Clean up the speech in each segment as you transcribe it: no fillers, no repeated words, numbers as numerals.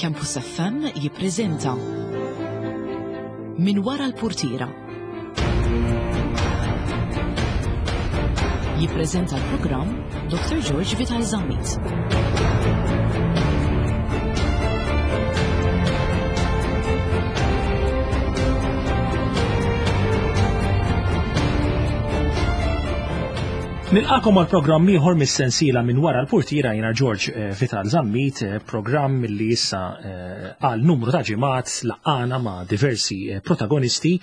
Campus FM jippreżenta Min wara l-purtiera. Jippreżenta l-programm Dr. George Vital Zammit. Nilqakom għal programm ieħor mis-sensiela minn wara l-purtiera jiena George eh, Vital Zammit, eh, programm li issa eh, għal numru ta' ġimgħat laqana ma' diversi protagonisti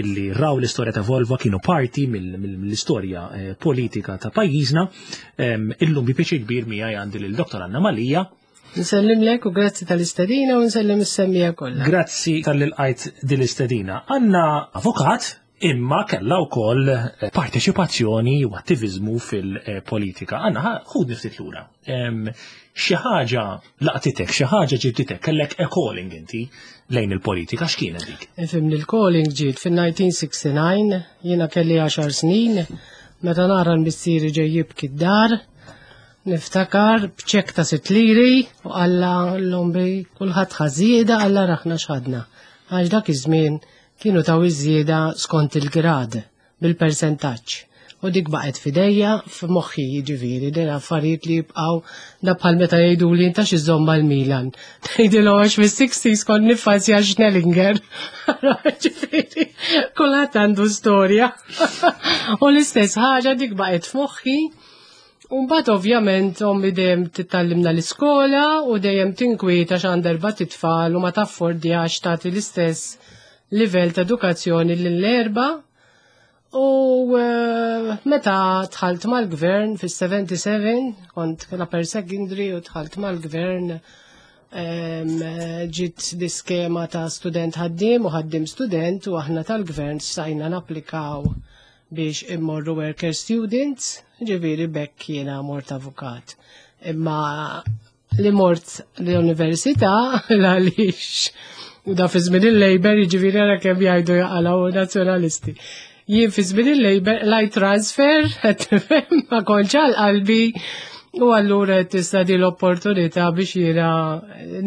illi raw l-istorja ta' Volvo kienu parti mill-istorja politika ta' pajjiżna. Ehm, illum bi pjaċir kbir miegħi għandi lil Dr. Anna Malija. Nsellimlek u grazzi tal-istedina u nsellem is-semmija kollha. Grazzi tal-li lqajt din l-istedina. Għandna avukat imma kellha wkoll eh, parteċipazzjoni u attiviżmu fil-politika. Għanna, ħudni ftit lura. Xi ħaġa laqtitek, xi ħaġa ġibditek, kellek a calling inti lejn il-politika, x'kienet dik? Ifhimni l-calling ġiet fin-1969, jiena kelli 10 snin, meta nara l-missieri ġej jibki d-dar, niftakar b'ċek ta' sitt liri u qalla l-ombi kulħadd ħażieda alla raħna x'ħadna. Għax dak iż-żmien Kienu taw iż-żieda skont il-grad, bil-persentaġġ. U dik baqgħet f'idejja, f'moħħi jiġifieri, din affarijiet li jibqgħu da bħal meta jgħiduli inta x'iżżomm mal-Milan. Ngħidilhom għax fis-60s kont niffaċċja Schnellinger. Ġifieri, kulħadd għandu storja. U l-istess ħaġa dik baqgħet f'moħħi. U mbagħad ovvjament ommi dejjem titgħallimna l-iskola u dejjem tinkwieta x'għandha erba' titfal u ma taffordjax tagħti l-istess livell ta' edukazzjoni lill-erba'. U eh, meta dħalt mal-gvern fis-77, kont l-upper secondary u dħalt mal-gvern ġiet di skema ta' student ħaddiem u ħaddiem student u aħna tal-gvern stajna napplikaw biex immorru worker students, ġifieri bekk jiena mort avukat. Imma li mort l-università għaliex u da fi żmien il-Labor jiġifieri ara kemm jgħidu jaqalgħu nazzjonalisti. Jien fi żmien il-Labor lajt transfer, ma kontx għal qalbi u allura tista' di l-opportunità biex jiena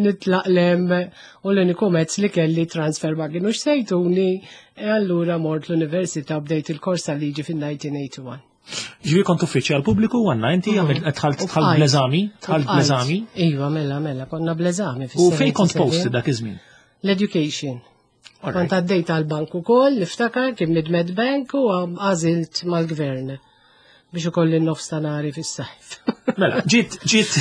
nitlaq lem u l-uniku mezz li kelli transfer ma kienux sejtuni E allura mort l-università bdejt il-kors tal-liġi fin-1981. Ġivi kont uffiċjal pubbliku għanna inti mm. għamil tħalt tħalt bl-eżami, tħalt bl-eżami. Iva, mela, mela, konna bl-eżami. U fej kont post dak iż-żmien? L-education. Kont għaddejt għal-bank ukoll, niftakar kien Mid-Med Bank u għażilt mal-gvern. biex ikolli n-nofs ta' nari fis-sajf. Mela, ġiet, ġiet,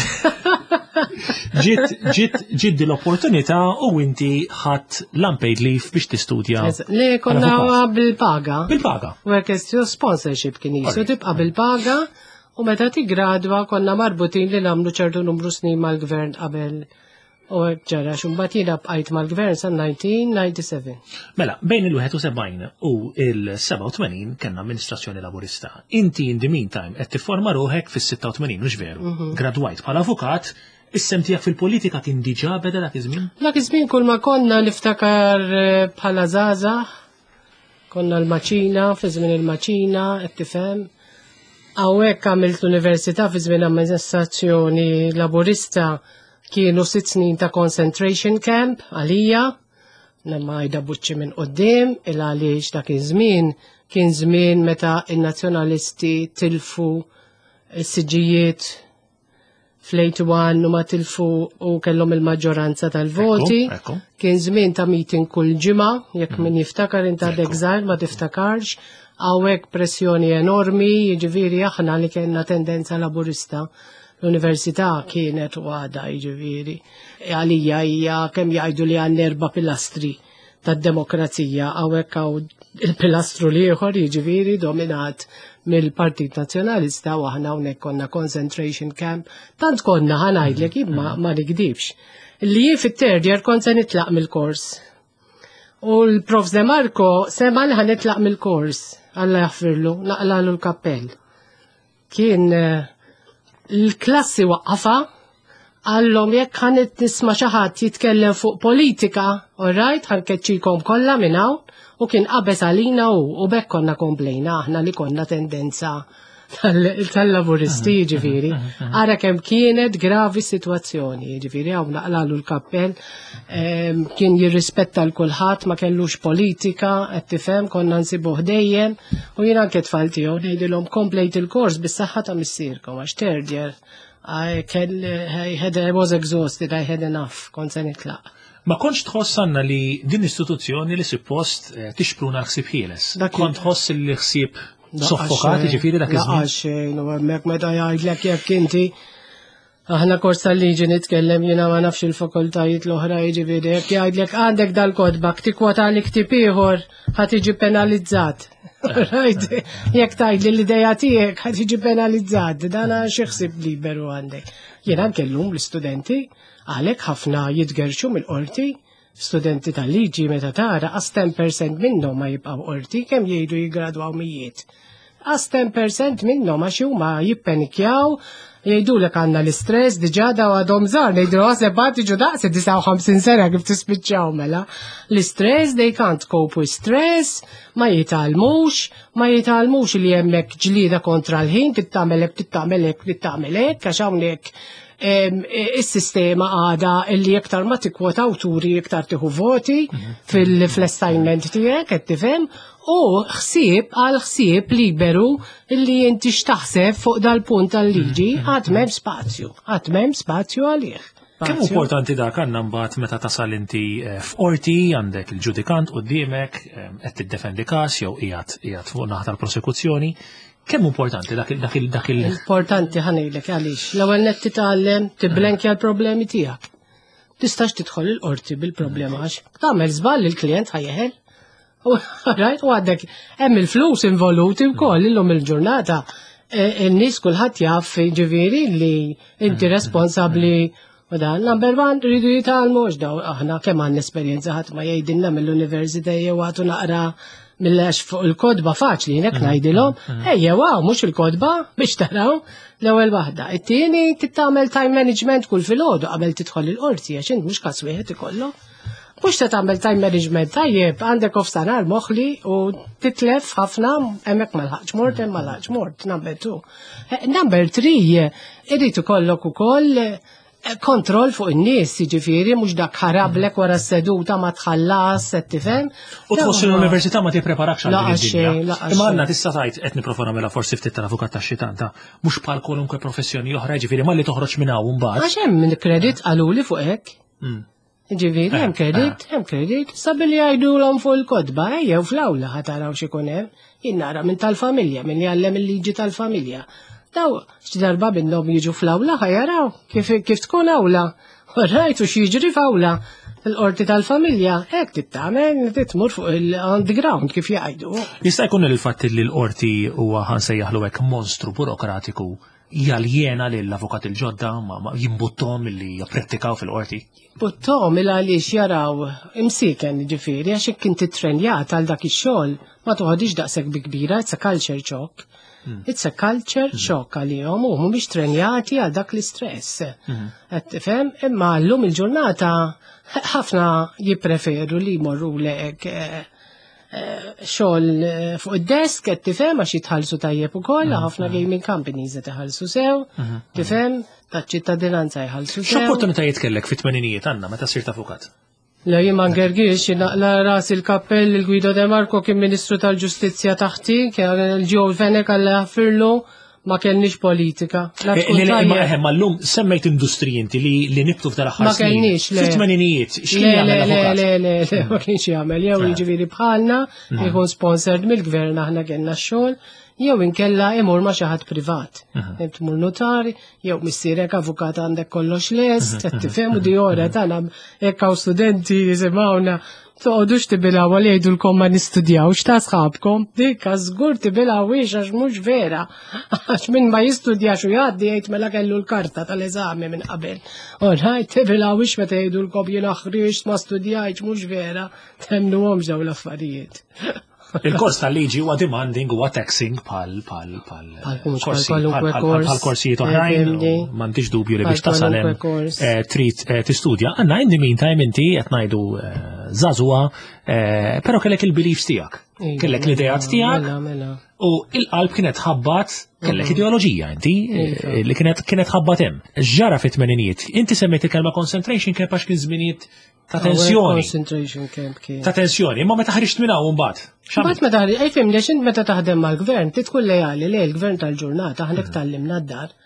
ġiet, ġiet, ġiet din l-opportunità u inti ħadd l-unpaid leave biex tistudja. Le, konna bil-paga. Bil-paga. Workers sponsorship kien jisu, tibqa' bil-paga u meta tigradwa konna marbutin li nagħmlu ċertu numru snin mal-gvern qabel U hekk ġara x'imbagħad jiena bqajt mal-gvern sa 1997. Mela, bejn il-71 u il-87 kellna amministrazzjoni laburista. Inti in the meantime qed tifforma ruħek fis-86 mhux veru. Mhm. Gradwajt bħala avukat, is-sem tiegħek fil-politika kien diġà beda dak iż-żmien? Dak iż-żmien kull ma konna niftakar eh, bħala żgħażagħ, konna l-maċina, fi żmien il-maċina, qed tifhem. Hawnhekk għamilt l-università fi żmien amministrazzjoni laburista Kienu sitt snin ta' concentration camp għalija, nemma għajda buċċi minn qoddim, il għaliex dak iż-żmien kien żmien meta in-nazzjonalisti tilfu s-siġijiet fl-81 u ma tilfu u kellhom il-maġġoranza tal-voti. Kien żmien ta' meeting kull ġimgħa, jekk min jiftakar inta għadek żgħir ma tiftakarx, hawnhekk pressjoni enormi, jiġifieri aħna li kellna tendenza laburista L-università kienet u għada jiġifieri. Għalija hija kemm jgħidu li għandna erba' pilastri tad-demokrazija hawnhekk hawn il-pilastru l-ieħor jiġifieri dominat mill-Partit Nazzjonalista u aħna hawnhekk konna concentration camp. Tant konna ħanajdlek imma ma nikdibx. Li jien fit-third year kont se nitlaq mill-kors. U l-Prof De Marco sema li ħanitlaq mill-kors, Alla jaħfirlu, naqlalu l-kappell. Kien eh, l-klassi waqqafa għallhom jekk ħanet nisma' xi ħadd jitkellem fuq politika, all right, ħankeċċikom kollha minn hawn u kien qabeż għalina u u bekk konna komplejna aħna li konna tendenza. tal-Laburisti, ġifieri. Ara kemm kienet gravi situazzjoni, ġifieri hawn naqlalu l-kappell, kien jirrispetta l kulħadd, ma kellux politika, qed tifhem, konna nsibuh dejjem, u jien anke tfal tiegħu ngħidilhom komplejt il-kors bis-saħħa ta' missierkom għax third year I, kell, I, had, I was exhausted, I had enough, kont se nitlaq. Ma kontx tħoss għandna li din istituzzjoni li suppost eh, tixpruna l-ħsieb ħieles. Kont tħoss li ħsieb soffokat, ġifieri dak iż-żmien. Laqgħa xejn, u hemmhekk meta jgħidlek jekk inti aħna kors tal-liġi nitkellem jiena ma nafx il-fakultajiet l-oħra jiġifieri jekk jgħidlek għandek dal-kodba tikwota li ktib ieħor ħa tiġi penalizzat. Right? Jekk tgħid li l-idea tiegħek ħa tiġi penalizzat, dan xi ħsieb liberu għandek. Jiena anke llum l-istudenti għalhekk ħafna jitgerxu mill-qorti studenti tal-liġi meta tara għas 10% minnhom ma jibqgħu qorti kemm jgħidu jiggradwaw mijiet. Għas 10% minnhom għax huma jippenikjaw jgħidulek għandna l-istress diġà daw għadhom żgħar ngħidu għaseb għad tiġu daqs 59 sena kif tispiċċaw mela. L-istress they can't cope with stress, ma jitgħallmux, ma jitgħallmux li hemmhekk ġlieda kontra l-ħin, tittamel hekk, tittamel hekk, tittamel hekk, għax hawnhekk is-sistema għada illi iktar ma tikkwota awturi iktar tieħu voti fil-assignment tiegħek qed tifhem u ħsieb għal ħsieb liberu illi inti x'taħseb fuq dal-punt tal-liġi għad m'hemm spazju, għad m'hemm spazju għalih. Kemm importanti dak għandna mbagħad meta tasal inti eh, f'qorti għandek il-ġudikant quddiemek eh, qed tiddefendi każ jew qiegħed qiegħed fuq naħa tal-prosekuzzjoni. Kemm importanti dak il dak il dak il Importanti ħanejlek għaliex. L-ewwel nett titgħallem tiblenkja l-problemi tiegħek. Tistax tidħol il-qorti bil-problema għax tagħmel żball il-klient ħajeħel. Right, u għandek hemm il-flus involuti wkoll illum il-ġurnata. E, in-nies kulħadd jaf ġifieri li inti responsabbli u dan number one rridu jitgħallmu għax daw aħna kemm għandna esperjenza ħadd ma jgħidilna mill-università jew għatu naqra mill-għax fuq il-kodba faċli nek ngħidilhom, ejja wow, mhux il-kodba biex taraw l-ewwel waħda. It-tieni titgħamel time management kull filgħodu qabel tidħol il-qorti għax int mhux każ wieħed ikollok. Mhux se tagħmel time management tajjeb, għandek ofsanar moħli u titlef ħafna hemmhekk ma lħaqx mort, hemm ma lħaqx mort, number two. Eh, number three, irid ikollok ukoll eh, kontroll fuq in-nies, jiġifieri mhux dak ħarablek wara s-seduta ma tħallas, qed tifhem. U tħoss l-università ma tippreparakx għal din id-dinja. Imma għandna tista' tgħid qed nipprova nagħmilha forsi ftit tal-avukat tax-xitan ta' mhux bħal kwalunkwe professjoni oħra, jiġifieri malli toħroġ minn hawn mbagħad. Għax hemm kredit qaluli fuq hekk. Ġifieri, hemm eh, kredit, eh. hemm kredit, sabi li jgħidulhom fuq il-kotba, ejjew fl-awla ħa taraw x'ikun hemm, jien nara minn tal-familja, minn jgħallem il-liġi tal-familja. Daw, xi darba minnhom jiġu fl-awla ħa jaraw kif, kif tkun awla. Rajtu x'jiġri f'awla. Il-qorti tal-familja, hekk tittamel, titmur fuq il-underground kif jgħidu. Jista' jkun il-fatt li l-qorti huwa ħansejjaħlu hekk monstru burokratiku jaljena lill-avukat il-ġodda ma jimbuttom li japprettikaw fil-qorti. Buttom il għaliex jaraw imsiken ġifieri għax jekk inti trenjat għal dak ix-xogħol ma toħodix daqshekk bi kbira, it's a culture shock. Hmm. It's a culture hmm. shock għalihom u mhumiex trenjati għal dak l-istress. Hmm. Qed tifhem? Imma llum il-ġurnata ħafna jippreferu li jmorru lek eh, eh, xogħol eh, fuq id-desk qed tifhem għax jitħallsu tajjeb ukoll, ħafna gaming companies qed iħallsu sew, tifhem, taċ-ċittadinanza jħallsu sew. X'opportunitajiet kellek fit-tmeninijiet għandna meta sirt avukat? Le jien ma ngergix, naqla ras il-kappell il-Guido De Marco kien Ministru tal-Ġustizzja taħti, kien il-Joe Fenech għalla jaħfirlu, ma kellniex politika. La eh, tkun tajjeb. Eħe, ma llum semmejt industriji inti li li nibtu f'dal aħħar Ma kellniex, le. Fit-tmeninijiet, x'kien Le, jagħmel le, le, avukat? le, le, le, ma kienx jagħmel, jew Eh. jiġifieri bħalna, jkun sponsored mill-gvern aħna kellna x-xogħol, jew inkella imur ma' xi ħadd privat. Tmur notar, jew missierek avukat għandek kollox lest, qed tifhem u di ora tagħna hekk hawn studenti jisimgħuna toqgħodux tibilgħu għal jgħidulkom ma nistudjawx ta' sħabkom, dik żgur tibilgħuhiex għax mhux vera. Għax min ma jistudjax u jgħaddi jgħid mela kellu l-karta tal-eżami minn qabel. All right, tibilgħuhiex meta jgħidulkom jiena ħriġt ma studjajtx mhux vera, temnuhomx dawn l-affarijiet. Il-kors tal-liġi huwa demanding huwa taxing bħal bħal bħal Bħal mhux bħal korsi- kwalunkwe bħal- kors. bħal korsijiet oħrajn, Fimni. m'għandix dubju li Bħal biex tasal hemm kwalunkwe kors. eh, trid eh, tistudja. Għandna in the meantime inti qed ngħidu eh, żagħżugħa, eh, però kellek il-beliefs tiegħek. Iva, Kellek l-idejat mela, tiegħek Mela, mela. u il-qalb kienet ħabbat, kellek ideoloġija inti Iva. li kienet kienet ħabbat hemm. Ġara fit-tmeninijiet, inti semmejt il-kelma concentration camp għax kien żminijiet ta' tensjoni. Concentration camp kien. Ta' tensjoni, imma meta ħriġt minn hawn mbagħad. Mbagħad meta ej fimni għax int meta taħdem mal-gvern ti tkun lejali lej il-gvern tal-ġurnata aħna tgħallimna d-dar.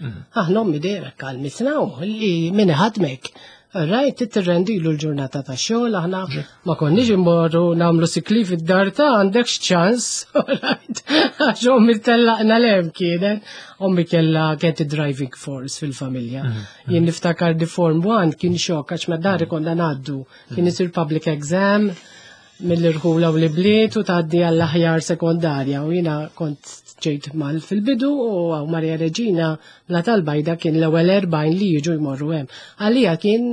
Aħna ommi dejjem hekk għallmitna li min iħadmek. Rajt tirrendilu l-ġurnata ta' xogħol aħna ma konniex immorru nagħmlu sikli fid-dar ta' għandek ċans, right? Għax ommi tellaqna lem kienet. Ommi kella kienet driving force fil-familja. Jien niftakar di Form 1 kien xokk għax ma dari konna ngħaddu. Kien isir public exam mill-irħula u l-bliet u tgħaddi għall-aħjar sekondarja u jiena kont ġejt mal fil-bidu u għaw Maria Reġina la tal-bajda kien l-ewwel 40 li jiġu jmorru hemm. Għalija kien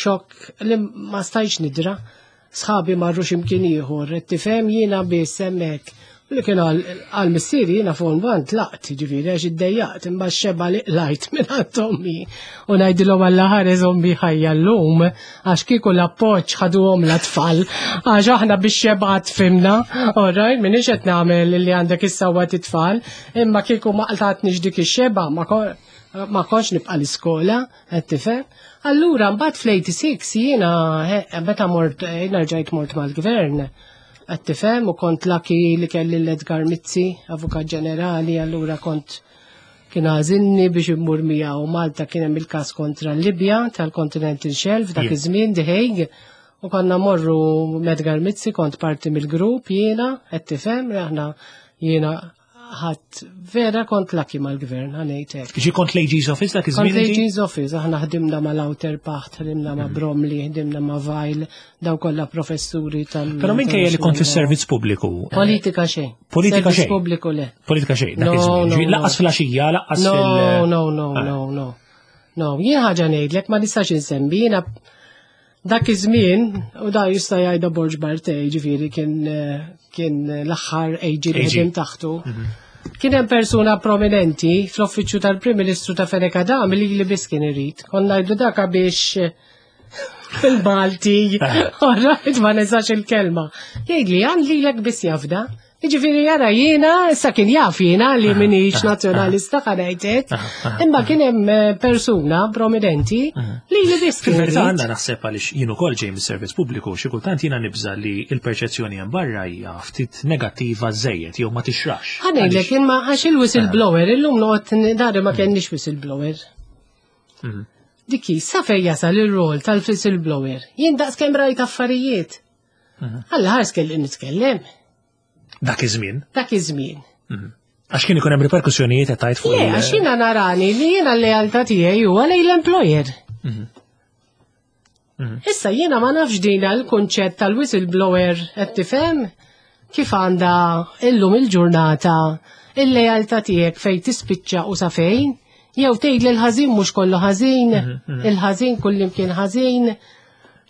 xokk li ma stajx nidra. Sħabi marru x'imkien ieħor, tifhem jiena biss hemmhekk. U li kien għal missieri jiena form one tlaqt, ġifieri għax iddejjaqt imma xeba li qlajt minn għand ommi. U ngħidilhom Alla ħares ommi ħajja llum għax kieku l-appoġġ ħaduhom l-tfal għax aħna biex xebat fimna, alright, minix qed nagħmel li għandek is-sewwa titfal, imma kieku ma qtatniex dik ix-xeba ma ma konx nibqa' l-iskola, qed tifhem. Allura mbagħad fl-86 jiena meta mort jiena rġajt mort mal-gvern, qed tifhem u kont lucky li kelli l-Edgar Mizzi, Avukat Ġenerali, allura kont kien għażilni biex immur miegħu Malta kien hemm il-każ kontra l-Libja tal-Continental Shelf dak iż-żmien The Hague. U konna morru m'Edgar Mizzi kont parti mill-grupp jiena, qed tifhem, aħna jiena ħadd vera kont lucky mal-gvern, ħa ngħid hekk. Ġi kont l-AG's Office dak Kont iż-żmien inti? l-AG's Office, aħna ħdimna ma' Lauterpacht, ħdimna ma' Bromley, ħdimna ma' Weil, daw kollha professuri tal. Però minkejja li kont fis-servizz pubbliku. Politika xejn. Politika Servizz xejn. pubbliku le. Politika xejn, dak No, iż-żmien. no, Ġi, no. Lanqas fil-għaxija, lanqas No, fil- no, no, Ah. no, no. No, jien ħaġa ngħidlek ma nistax insemmi, jiena dak iż-żmien u da jista' jgħidha Borg Bartej, ġifieri kien kien l-aħħar AG li AG. ħedim taħtu. Kien hemm persuna prominenti fl-uffiċċju tal-Prim Ministru ta' Fenech Adami li li biss kien irid. Konna ngħidu daka biex fil-Malti, alright, ma nisax il-kelma. Jgħidli għan lilek biss jafda. Jiġifieri jara jiena, issa kien jaf jiena li minix nazzjonalista ħa ngħidlek, imma kien hemm persuna prominenti li li biss kien Fil-verità irid. għandna naħseb għaliex jien ukoll ġej mis-servizz pubbliku, xi kultant jiena nibża li l-perċezzjoni hemm barra hija ftit negattiva żejjed jew ma tixrax. Ħa ngħidlek imma għax il-whistleblower illum noqgħod dari ma kenniex whistleblower. Diki, sa fejn jasal ir-rol tal-whistleblower. Jien daqs kemm rajt affarijiet. Alla ħares kelli nitkellem. Dak iż-żmien. Dak iż-żmien. Għax kien ikun hemm riperkussjonijiet qed tgħid fuq Le, għax jiena narani li jiena l-lealtà tiegħi huwa lejn l-employer. Issa jiena ma nafx dina l-kunċett tal-whistleblower qed tifhem kif għandha illum il-ġurnata il-lealtà tiegħek fejn tispiċċa u sa fejn, jew tgħid li l-ħażin mhux kollu ħażin, il-ħażin kullimkien ħażin.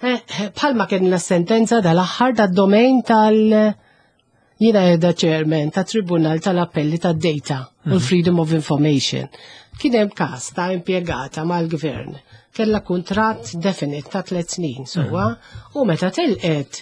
Bħalma kien la sentenza dal-aħħar tad-domain tal- Jiena edha chairman ta' Tribunal tal-Appelli tad-Data u l-Freedom of Information. Kien hemm każ ta' impjegata mal-gvern kella kuntratt definite ta' 3 snin sewwa u meta telqet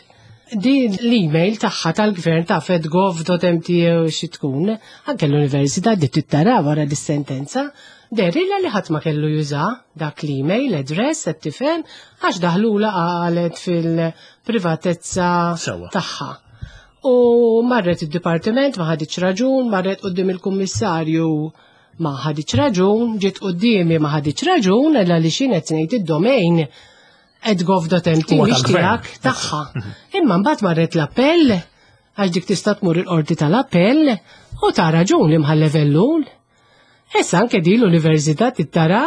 din l-email tagħha tal-gvern ta' fedgov.mt u xi tkun, anke l-università di tittara wara dis-sentenza, derilla li ħadd ma kellu juża dak l-email address qed tifhem għax daħlula qalet fil-privatezza tagħha. U marret id-dipartiment ma ħaditx raġun, marret quddiem il-kummissarju ma ħaditx raġun, ġiet quddiemi ma ħaditx raġun, illa li xi qed ngħid id-domain edgov.mt Huwa mhix tal-gvern. tiegħek tagħha. Imma mbagħad marret l-appell għax dik tista' tmur il-qorti tal-appell u ta' raġun li mħallef Ellul. Issa anke di l-università tittara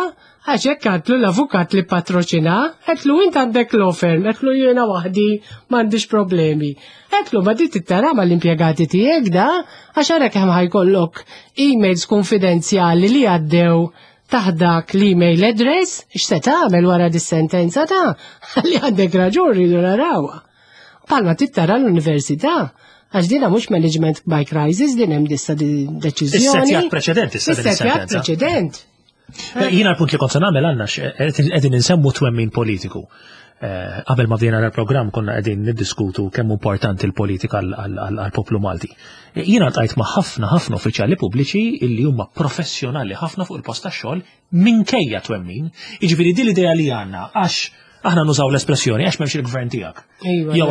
għax hekk għatlu l-avukat li patroċina, għetlu int għandek law firm, għetlu jiena waħdi m'għandix problemi. Għetlu ma di tittara mal-impjegati tiegħek da, għax ara kemm ħajkollok emails konfidenzjali li għaddew taħt dak l-email address, x'se tagħmel wara dis-sentenza ta' li għandek raġun rridu narawha. Palma tittara l-università, għax dina mhux management by crisis, din hemm dissa deċiżjoni. Is-settjat preċedent issa din Is-settjat is-sentenza. preċedent. Jiena l-punt li kont se nagħmel għandna qegħdin insemmu twemmin politiku. Qabel ma bdejna dal-programm konna qegħdin niddiskutu kemm importanti l-politika għall-poplu Malti. Jiena ltqajt ma' ħafna ħafna uffiċjali pubbliċi illi huma professjonali ħafna fuq il-post tax-xogħol minkejja twemmin. Jiġifieri din l-idea li għandna għax aħna nużaw l-espressjoni għax m'hemmx il-gvern tiegħek. Jew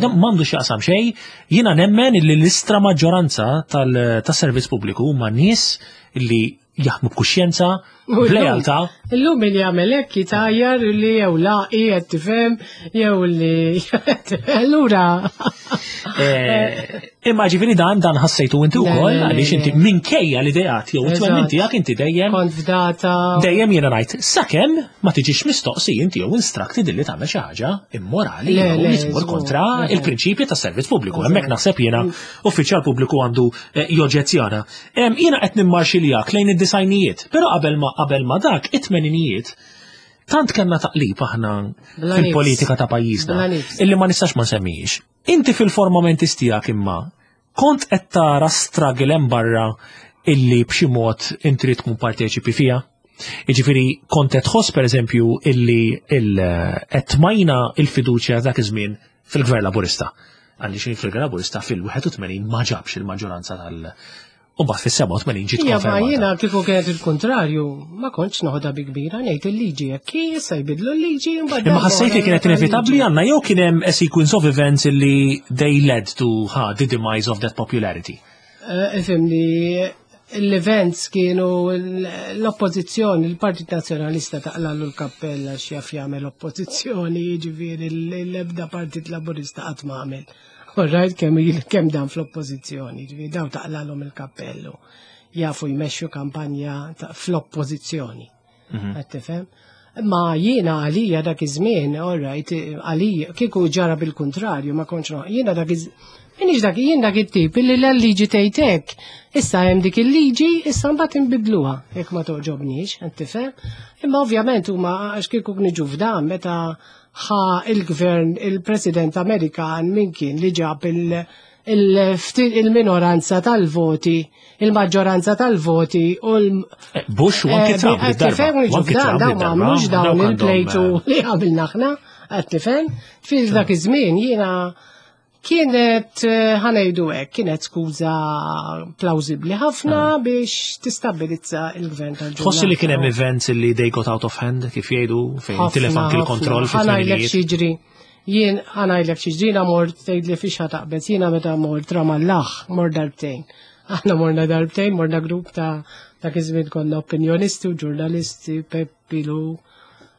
m'għandu x'jaqsam xejn, jiena nemmen illi l-istra maġġoranza tas-servizz pubbliku huma nies illi jaħdmu b'kuxjenza, b'lealtà. Illum min jagħmel hekk jitajjar li jew laqi qed tifhem jew li allura. Eh, imma ġifieri dan dan ħassejtu inti wkoll għaliex inti minkejja l-ideat jew it-twemmin tiegħek inti dejjem. Kont fdata. Dejjem jiena ngħid sakemm ma tiġix mistoqsi inti jew instructed li tagħmel xi ħaġa immorali jew li tmur kontra il-prinċipji tas-servizz pubbliku. Hemmhekk naħseb jiena uffiċjal pubbliku għandu eh, joġġezzjona. Jiena qed nimmarxiljak lejn id-disajnijiet, però qabel ma qabel ma dak it-tmeninijiet tant kellna taqlib aħna fil-politika ta' pajjiżna illi ma nistax ma nsemmijiex. Inti fil-formament tiegħek imma kont qed tara struggle hemm barra illi b'xi mod inti trid tkun parteċipi fiha? Jiġifieri kont qed tħoss pereżempju illi qed tmajna il-fiduċja dak iż-żmien fil-Gvern Laburista. Għaliex il-Gvern Laburista fil-81 ma ġabx il-maġġoranza tal- U mbagħad fis-87 ġiet konfermata. Jiena kieku kienet il-kontrarju, ma kontx noħodha bi kbira ngħid il-liġi jekk issa jbidlu l-liġi mbagħad. Imma ħassejt li kienet inevitabbli għandna jew kien hemm a sequence of events li they led to ha, the demise of that popularity. Eh, ifhimni, l-events kienu l-oppożizzjoni, il-Partit Nazzjonalista taqlallu l-kappella x'jaf jagħmel oppożizzjoni, jiġifieri l-ebda Partit Laburista qatt ma għamel. All right, kemm kemm dan fl-oppożizzjoni, jiġifieri daw taqlalhom il-kappellu. Jafu jmexxu kampanja fl-oppożizzjoni. Qed tifhem? Ma jiena għalija dak iż-żmien, all right, għalija kieku ġara bil-kuntrarju, ma kontx jiena dak iż Minix dak, jien dak it-tip illi l-liġi tgħidek. Issa hemm dik il-liġi, issa mbagħad inbidluha jekk ma toġobniex, qed tifhem? Imma ovvjament huma għax kieku niġu f'dan meta ħa il-gvern il-President Amerikan min kien li ġab il-minoranza tal-voti, il-maġġoranza tal-voti u l- eh, Bush u anki eh, Trump. Tifhem niġu f'dan dawn ma għamlux dawn il-plejtu li għamilna aħna, qed tifhem? Fil dak iż-żmien jiena Kienet, eh, ħanejdu hekk, kienet skuża plawzibli ħafna ah. biex tistabilizza il-gvern tal-ġurnata. Tħossi li kien hemm events li they got out of hand kif jgħidu fejn tilef anki l-kontroll Ħanajlek xiġri. Jien ħanajlek xiġri jiena mort tgħid li fiex taqbet jiena meta mort Ramallah mort darbtejn. Aħna morna darbtejn, morna grupp ta' dak iż-żmien konna opinjonisti u ġurnalisti, Peppilu,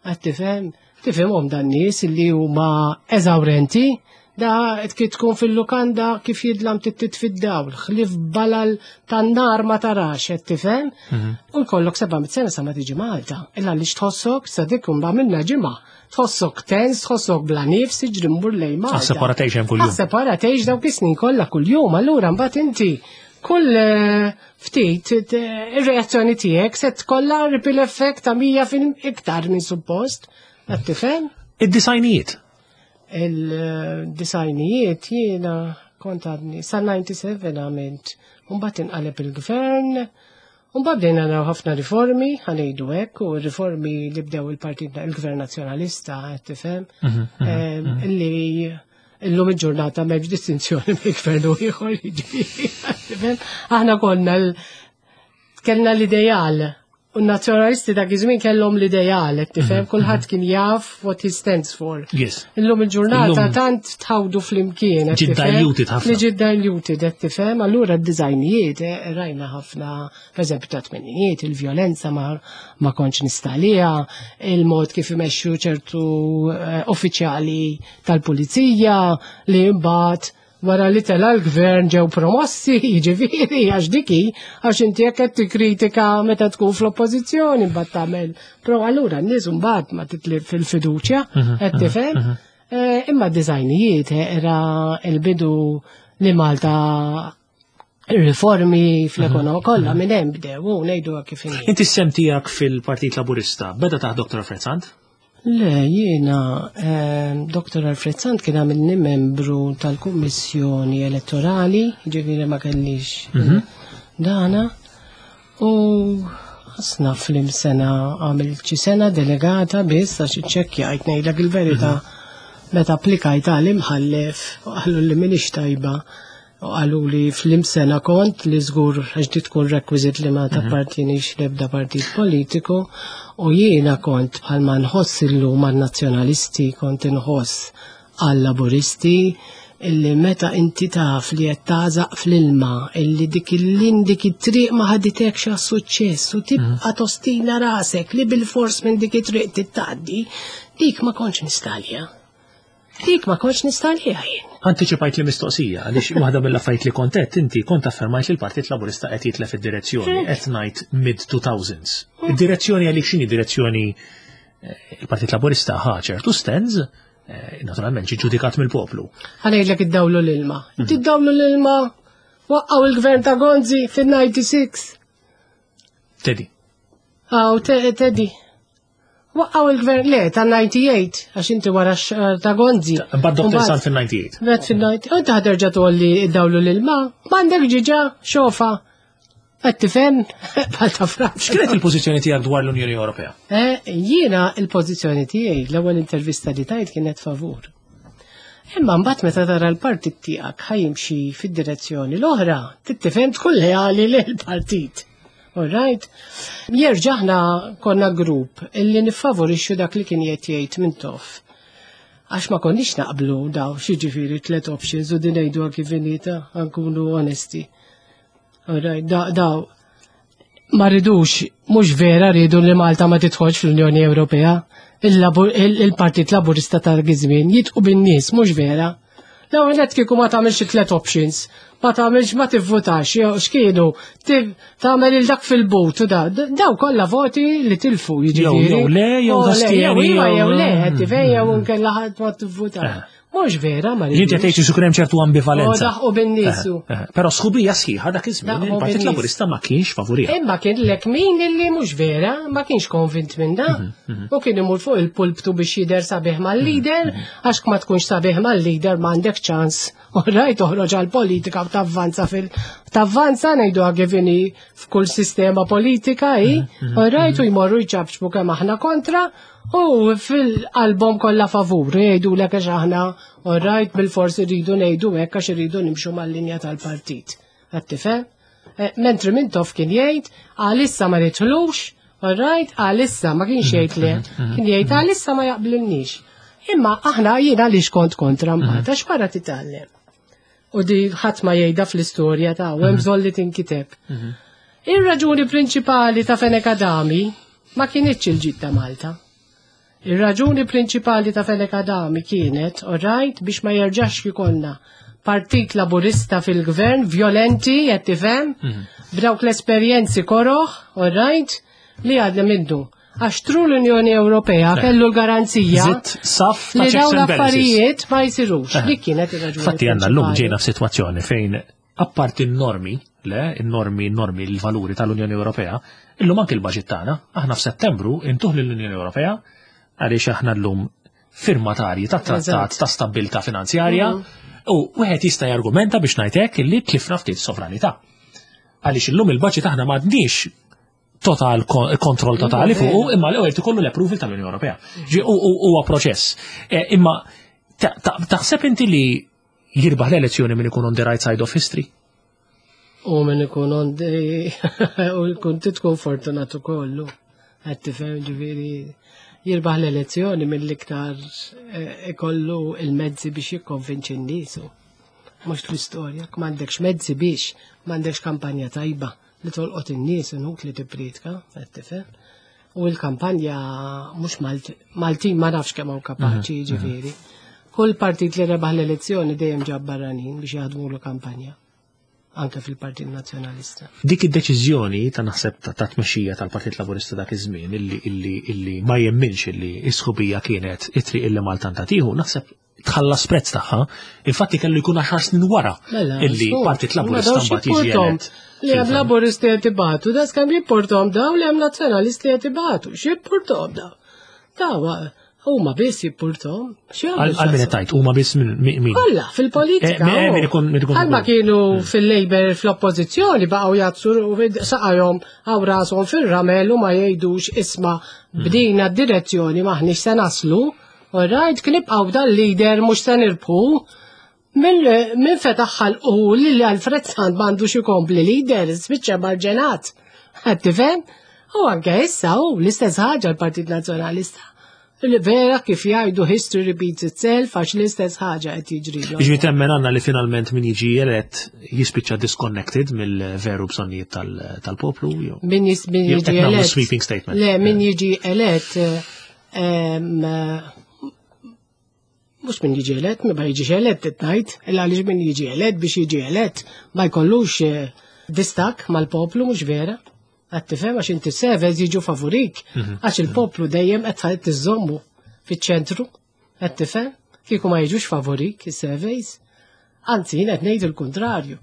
qed tifhem? Tifhimhom dan nies li huma eżawrenti, da kif tkun fil-lukanda kif jidlam tittit fid-dawl, ħlif balal tan-nar ma tarax, qed tifhem? Mhm. U jkollok 700 sena sa ma tiġi Malta. Illa li tħossok sa dik għamilna ġimgħa. Tħossok tens, tħossok bla nifs, tiġri mmur lejn Malta. Separat hemm kuljum. Separat dawk is-snin kollha kuljum, allura mbagħad inti kull eh, ftit ir-reazzjoni tiegħek se tkollha ripple effect ta' 100 fil iktar minn suppost. Qed tifhem? Id-disajnijiet. Il-disajnijiet jiena kont għadni sa 97 għamilt. Mbagħad inqaleb il-gvern, Mbagħad bdejna naraw ħafna riformi, ħanejdu hekk, u riformi li bdew il-Partit il-Gvern Nazzjonalista, qed tifhem, mhm, mhm, mhm. illi illum il-ġurnata m'hemmx distinzjoni bejn gvern u ieħor, jiġifieri, Aħna konna kellna l-ideal U n-nazzjonalisti dak iż-żmien kellhom l-ideal, qed tifhem, mhm, kulħadd mhm. kien jaf what he stands for. Yes. Illum il-ġurnata tant tħawdu flimkien. Ġid diluted ħafna. Li ġid diluted, qed tifhem, allura d-dizajnijiet eh, rajna ħafna, pereżempju ta' tmenijiet, il-vjolenza ma, ma kontx nistalija, il-mod kif imexxu ċertu eh, uffiċjali tal-pulizija li mbagħad wara li tela l-gvern ġew promossi, jiġifieri għax diki, għax inti jekk qed tikkritika meta tkun fl-oppożizzjoni mbagħad tagħmel. Pro allura n-nies mbagħad ma titlib fil-fiduċja, mhm, qed mhm, tifhem. Mhm. Eh, imma d-dizajnijiet eh, era il-bidu li Malta riformi fl-ekonomija kollha minn hemm bdew u ngħidu kif inhi. Inti s-sem tiegħek fil-Partit Laburista beda taħt Dr. Alfred Sant? Le, jiena eh, Dr. Alfred Sant kien għamilni membru tal-Kummissjoni Elettorali, ġifieri ma kellix mhm. dana, u Asna fl-sena għamilt xi sena delegata biss għax iċċekkjajt ngħidlek il-verità meta applikajt għal imħallef u qalu li m'iniex tajba u qalu li fl-sena kont li żgur għax di tkun rekwiżit li ma tappartienix l-ebda partit politiku u jiena kont bħalma nħoss illum għan-nazzjonalisti kont inħoss għal-laburisti illi meta inti taf li qed tagħżaq fl-ilma illi dik il-lin dik it-triq ma ħaditekx għas-suċċess u tibqa' tostina rasek li bil-fors minn dik it-triq tittgħaddi, dik ma kontx nistalja. Dik ma kontx nistalja jien. Antiċipajt li mistoqsija, għaliex waħda mill-affarijiet li kontet, inti kont affermajt li l-Partit Laburista qed jitlef id-direzzjoni, qed ngħid mid-2000s. Id-direzzjoni għalik x'inhi direzzjoni il-Partit Laburista ħa ċertu stands, naturalment ġi ġudikat mill-poplu. Ħa ngħidlek iddawlu l-ilma. Tiddawlu l-ilma waqqgħu il-gvern ta' Gonzi fin-96. Teddy. Aw, Teddy. Waqqgħu il-gvern le ta' 98 għax inti wara ta' Gonzi. Mbagħad Dr. Sant fin-98. Mbagħad fin-98. U inti ħaderġa' tgħolli iddawlu l-ilma, m'għandek ġiġa xofa. Qed tifhem bħal ta' Franza. X'kienet il-pożizzjoni tiegħek dwar l-Unjoni Ewropea? Jiena il-pożizzjoni tiegħi l-ewwel intervista li tajt kienet favur. Imma mbagħad meta tara l-partit tiegħek ħajimxi fid-direzzjoni l-oħra, tittifhem tkun leali lill-partit. All right? Jerġa' aħna konna grupp illi niffavorixxu dak li kien qed jgħid Mintoff. Għax ma konniex naqblu daw xi ġifieri tliet options u din ngħiduha kif inhi ta' nkunu onesti. All right, daw ma ridux, mhux vera ridu li Malta ma tidħolx fl-Unjoni Ewropea. Il-Partit Laburista ta' żmien jidħqu bin-nies, mhux vera. L-ewwel nett kieku ma tagħmilx tliet options, ma tagħmilx ma tivvutax, jew x'kienu, tagħmel il dak fil-but u da, daw kollha voti li tilfu jiġifieri. Jew le, jew O, le, tastieni, jew iva, jew le, qed tifhem, jew inkella ħadd ma tivvutax. Mhux vera, ma Inti qed tgħid xi hemm ċertu ambivalenza. O, daħqu bin-niesu. Però sħubija sħiħa dak iż-żmien Daħqu il-Partit bin-nies. Laburista ma kienx favuriha. Imma kien lek min illi mhux vera, ma kienx konvint minn da. U kien imur fuq il-pulptu biex jidher sabiħ mal-leader, għax ma tkunx sabiħ mal-leader m'għandek ċans. U rajt toħroġ għal-politika u tavvanza fil tavvanza ngħidu kif inhi f'kull sistema politika hi, u rajt u jmorru jċapċpu kemm aħna kontra u fil-album kollha favur, jgħidu lek għax aħna u rajt bil-forsi rridu ngħidu hekk għax irridu nimxu mal-linja tal-partit. Qed tifhem? Mentri Mintoff kien jgħid għalissa ma nidħlux, all right, għalissa ma kienx jgħid le, kien jgħid għalissa ma jaqblilniex. Imma aħna jiena għaliex kont kontra mbagħad għax wara titgħallem. U di ħadd ma jgħidha fl-istorja ta' u hemm bżonn li tinkiteb. Ir-raġuni prinċipali ta' Fenech Adami ma kienitx il-ġid ta' Malta. Ir-raġuni prinċipali ta' Fenech Adami kienet, all right, biex ma jerġax jkollna Partit Laburista fil-gvern, violenti, qed tifhem, b'dawk l-esperjenzi koroħ, all right, li għadna minnu. Għax through l-Unjoni Ewropea kellu l-garanzija Zitt saf ta' li checks dawn and balances. l-affarijiet ma jsirux. Li kienet ir-raġuni. Fatti għandna l-lum prinċipali. ġejna f'sitwazzjoni fejn apparti n-normi, le, n-normi, n-normi, l-valuri tal-Unjoni Ewropea, illum anke l-budget tagħna, aħna f'Settembru intuh lill-Unjoni Ewropea għaliex aħna llum firmatarji ta' trattat ta' stabbiltà finanzjarja u wieħed jista' jargumenta biex ngħid hekk illi tlifna ftit sovranità. Għaliex illum il-budget aħna m'għandniex total kontroll totali fuq imma l-ewwel ikollu l-approval tal-Unjoni Ewropea. Ġi huwa proċess. Imma taħseb inti li jirbaħ l-elezzjoni min ikun on the right side of history? U min ikun on the u jkun tkun fortunat ukollu. Qed tifhem ġifieri jirbaħ l-elezzjoni mill-iktar ikollu il-mezzi biex jikkonvinċi n-nies. Mhux l-istorja, m'għandekx mezzi biex, m'għandekx kampanja tajba li tolqot in-nies inut li tippriedka, qed tifhem. U l-kampanja mhux Maltin ma nafx kemm hawn kapaċi ġifieri. Kull partit li rebaħ l-elezzjoni dejjem ġab barranin biex jaħdmu l kampanja. Anke fil-Partit Nazzjonalista. Dik id-deċiżjoni ta' naħseb ta' tmexxija tal-Partit Laburista dak iż-żmien illi ma jemminx illi s-sħubija kienet it-triq illi Malta tieħu, naħseb tħallas prezz tagħha, infatti kellu jkun 10 snin wara Mela, illi so, Partit ma Laburista dawx mbagħad jiġi jipportom elett. Li hemm Laburisti qed ibatu, das kemm jipportom daw li hemm Nazzjonalisti qed ibatu, x'jipportom daw? Daw Huma biss jippurtom. Għal min tajt, huma biss min? Kollha fil-politika. Eh, eh, min ikun Għalma kienu hmm. fil-Labor fl-oppożizzjoni baqgħu jazzu saqajhom għaw rashom fir-ramel u ma jgħidux isma' hmm. bdina d-direzzjoni maħniex se naslu. All right, kien ibqgħu dal-leader mhux se nirbħu. Min fetaħ ħalqu li Alfred Sant m'għandux ikompli leader, spiċċa marġenat. Qed tifhem? U anke issa hu l-istess ħaġa l-Partit Nazzjonalista. Li vera kif jgħidu history repeats itself għax l-istess ħaġa qed jiġri. Jiġri temmen għandna li finalment min jiġi elett jispiċċa disconnected mill-veru bżonnijiet tal-poplu jew. Min jiġi elett. Sweeping statement. Le, min jiġi elett mhux min jiġi elett, ma jiġix elett qed ngħid, illa għaliex min jiġi elett biex jiġi elett ma jkollux eh, distak mal-poplu mhux vera. Qed tifhem għax inti sevez jiġu favorik, mhm. għax il-poplu dejjem qed tiżommu fiċ-ċentru, qed tifhem kieku ma jiġux favorik is-surveys. Anzi, jien qed ngħid il-kuntrarju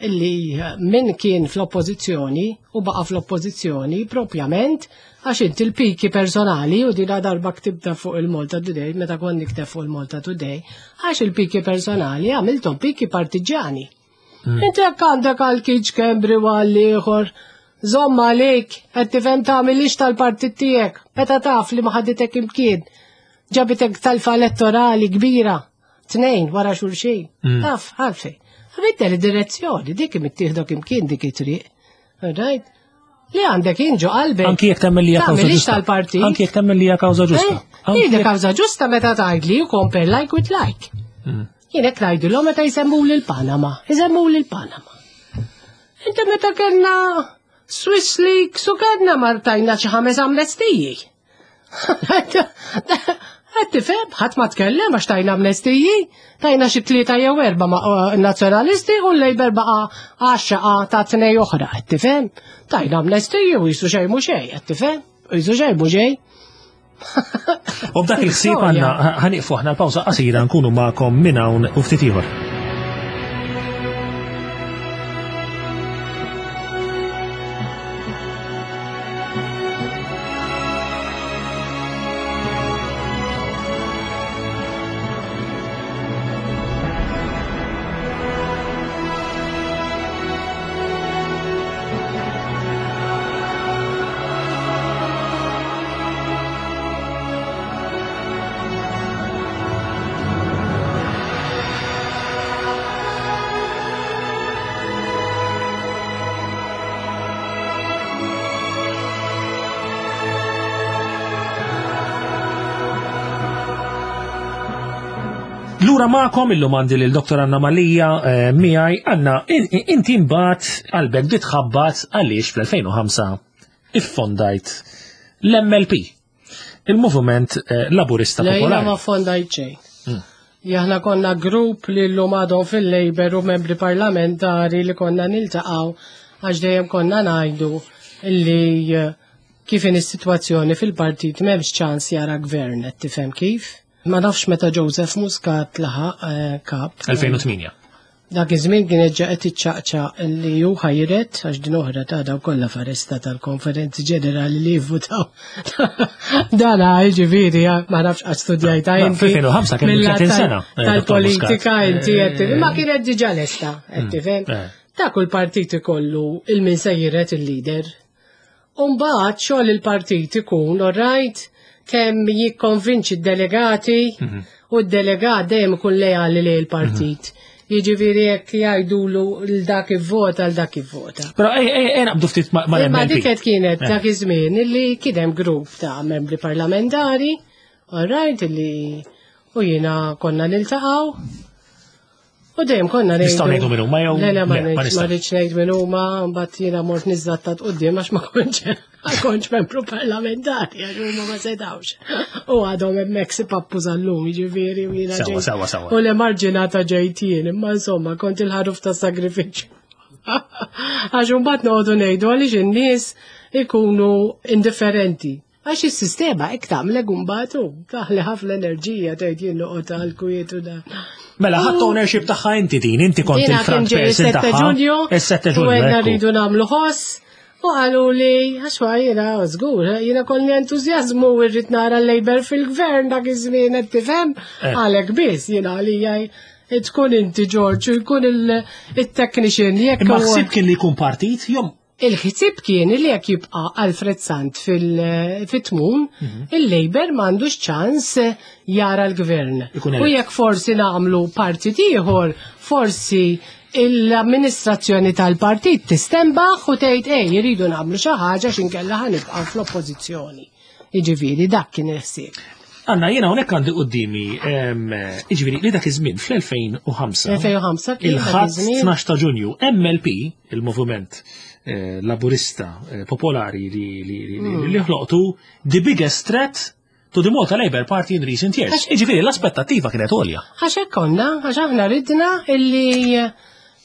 illi min kien fl-oppożizzjoni u baqa' fl-oppożizzjoni propjament għax inti l-piki personali u dina darba ktibta fuq il-Malta Today meta kont nikteb fuq il-Malta Today għax il-piki personali għamilthom piki partiġjani. Mm. Inti jekk għandek għal kiċ kembri u għal ieħor, żomm għalik, qed tifhem tagħmilix tal-partit tiegħek, meta taf li ma ħaditek imkien, ġabitek talfa elettorali kbira. Tnejn wara xulxin. Mm. Taf, għalfej. Biddel id-direzzjoni, dik mittieħdok imkien dik it-triq. Right? Li għandek inġu qalbek. Anki jekk temmen li hija kawża ġusta. tal-partit. Anki jekk temmen li hija kawża ġusta. Eh? Hi kawża ġusta meta tgħidli you compare like with like. Mm. Jien hekk ngħidilhom meta jsemmu lil Panama, jsemmu lil Panama. Inti meta kellna Swiss Leaks u kellna martajna xi ħames amnestiji. Qed tifhem, ħadd ma tkellem għax tajna amnestiji, tajna xi tlieta jew erba' ma' eh, nazzjonalisti u l-Labour baqa' għaxxaqa ta' tnej oħra, qed tifhem? Tajna amnestiji u jisu xejn mhu xejn, qed tifhem? U jisu xejn mhu xejn. U b'dak il-ħsieb għandna ħaniqfu aħna l-pawża qasira nkunu magħkom minn hawn u ftit ieħor. Lura magħkom illum għandi lil Dr. Anna Malija eh, miegħi. Anna, inti mbagħad qalbek bdiet tħabbat għaliex fl-2005 iffondajt l-MLP, il-Moviment eh, Laburista Popolari. Le, ma fondajt xejn. Hmm. Aħna konna grupp li llum għadhom fil-Labour u membri parlamentari li konna niltaqgħu għax dejjem konna ngħidu li eh, kif in is-sitwazzjoni fil-partit m'hemmx ċans jara gvern qed tifhem kif. Ma nafx meta Joseph Muscat laħaq eh, kap. 2008. Dak iż-żmien kienet ġa qed iċċaqċaq li hu ħajret għax din oħra ta' daw kollha faresta tal-konferenzi ġenerali li jivvutaw. Dan ġifieri ma nafx qatt studjajta inti. Fil-2005 kien 30 sena. Eh, tal-politika inti qed eh, ma kienet diġà lesta qed mm, tifhem. Eh. Ta' kull partit ikollu il-min se jiret il-leader. U mbagħad xogħol il-partit ikun, all right, kemm jikkonvinċi d-delegati mhm. u d-delegat dejjem ikun lejali lejn il-partit. Mhm. Jiġifieri jekk jgħidulu l dak ivvota l dak ivvota. Però ej ej ej naqbdu ftit ma' Ma dik qed kienet eh. dak iż-żmien illi kien hemm grupp ta' membri parlamentari, all right, illi u jiena konna niltaqgħu U dejjem konna ngħidu. Nistgħu ngħidu min huma jew. Le, le, ma rridx ngħid min huma, mbagħad jiena mort niżżattat quddiem għax ma kontx ma kontx membru parlamentari għax huma ma setgħux. U għadhom hemmhekk si pappu sal-lum, jiġifieri u jiena. Sewwa, sewwa, sewwa. U l-emarġinata ġejt jien, imma insomma kont il-ħaruf ta' sagrifiċċju. Għax imbagħad noqogħdu ngħidu għaliex in-nies ikunu indifferenti. Għax is-sistema hekk tagħmlek imbagħad u taħli ħafna enerġija tgħid jien noqgħod għal kwiet u dan. Mela ħadd ownership tagħha inti din, inti kont il-front person tagħha. Is-7 Ġunju. U għedna rridu nagħmlu ħoss. U qalu li, għax ma jiena żgur, jiena kolli entużjażmu u rrid nara l-Labour fil-gvern dak iż-żmien qed tifhem, Eh. għalhekk biss jiena għalija tkun inti George u jkun il-technician jekk Imma huwa- ħsieb kien li jkun partit, jom Il-ħsieb kien li jekk jibqa' Alfred Sant fil-tmun, il-Labour m'għandux ċans jara l-gvern. Ikun U elett. jekk forsi nagħmlu partit ieħor, forsi l-amministrazzjoni tal-partit tistembaħ u tgħid ej jridu nagħmlu xi ħaġa x'inkella ħanibqgħu fl-oppożizzjoni. Jiġifieri dak kien il-ħsieb. Anna, jiena hawnhekk għandi qudiemi, jiġifieri li dak iż-żmien fl-2005. 2005 kien dak Il-ħadd iż-żmien. 12 ta' Ġunju, MLP, il-Moviment Laburista Popolari li li li li ħloqtu the biggest threat to the Malta Labour Party in recent years. Jiġifieri l-aspettattiva kienet għolja. Għax hekk konna, għax aħna ridna illi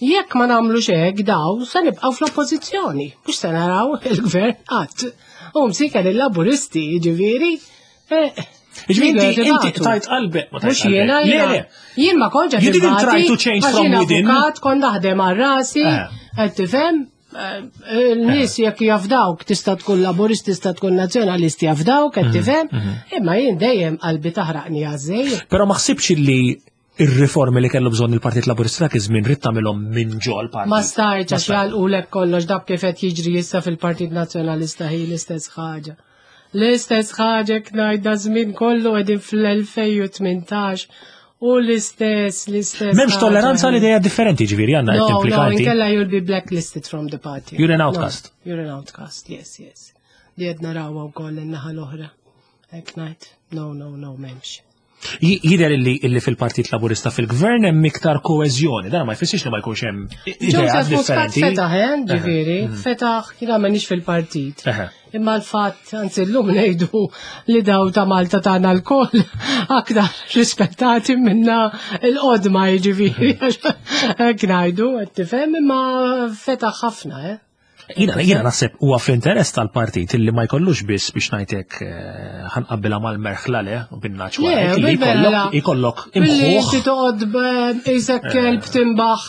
jekk ma nagħmlux hekk daw se nibqgħu fl-oppożizzjoni, mhux se naraw il-gvern qatt. U msiken il-Laburisti, jiġifieri. Jiġifieri inti jridu inti jibatu. tajt qalbek, ma tajt Mhux jiena qalbek. Le, jiena. le. Jien ma kontx qed You didn't nibati, try to change għax from jien within. avukat, kont naħdem għal rasi, Eh. qed tifhem? Il-nies jekk jafdawk tista' tkun laburist, tista' tkun nazzjonalist jafdawk, Mhm, qed tifhem? Imma jien dejjem qalbi taħraqni għażej. Però ma ħsibx li ir-riformi li kellu bżonn il-Partit Laburista dak iż-żmien rid tagħmilhom minn ġol partit. Ma stajtx għax jgħalqulek kollox dak kif qed jiġri issa fil-Partit Nazzjonalista hi l-istess ħaġa. L-istess ħaġa ngħidha żmien kollu qegħdin fl-2018 u l-istess, l-istess. M'hemmx ħaġa tolleranza hi. għal idea differenti ġifieri għandna qed No, no, timplika inti. inkella you'll be blacklisted from the party. You're an No, outcast. you're an outcast, yes, yes. Li qed narawha wkoll in-naħa l-oħra. Hekk ngħid. No, no, no, m'hemmx. Jidher illi fil-Partit Laburista fil-Gvern hemm iktar koeżjoni, dan ma jfissirx li ma jkunx hemm ideat Joseph Muscat differenti. fetaħ, eh, ġifieri, fetaħ, jiena m'għandix fil-partit. Eħe. Imma l-fatt, anzi llum ngħidu li daw ta' Malta tagħna lkoll aktar rispettati minna l-qodma jiġifieri. Hekk ngħidu, qed tifhem, imma fetaħ ħafna, eh. Jiena naħseb huwa fl-interess tal-partit illi ma jkollux biss biex ngħidlek ħanqabbilha mal-merħla le u bin-naċ Le, warajk, illi bil-merħla. jkollok Billi imħuħ. inti toqgħod isek kelb timbaħ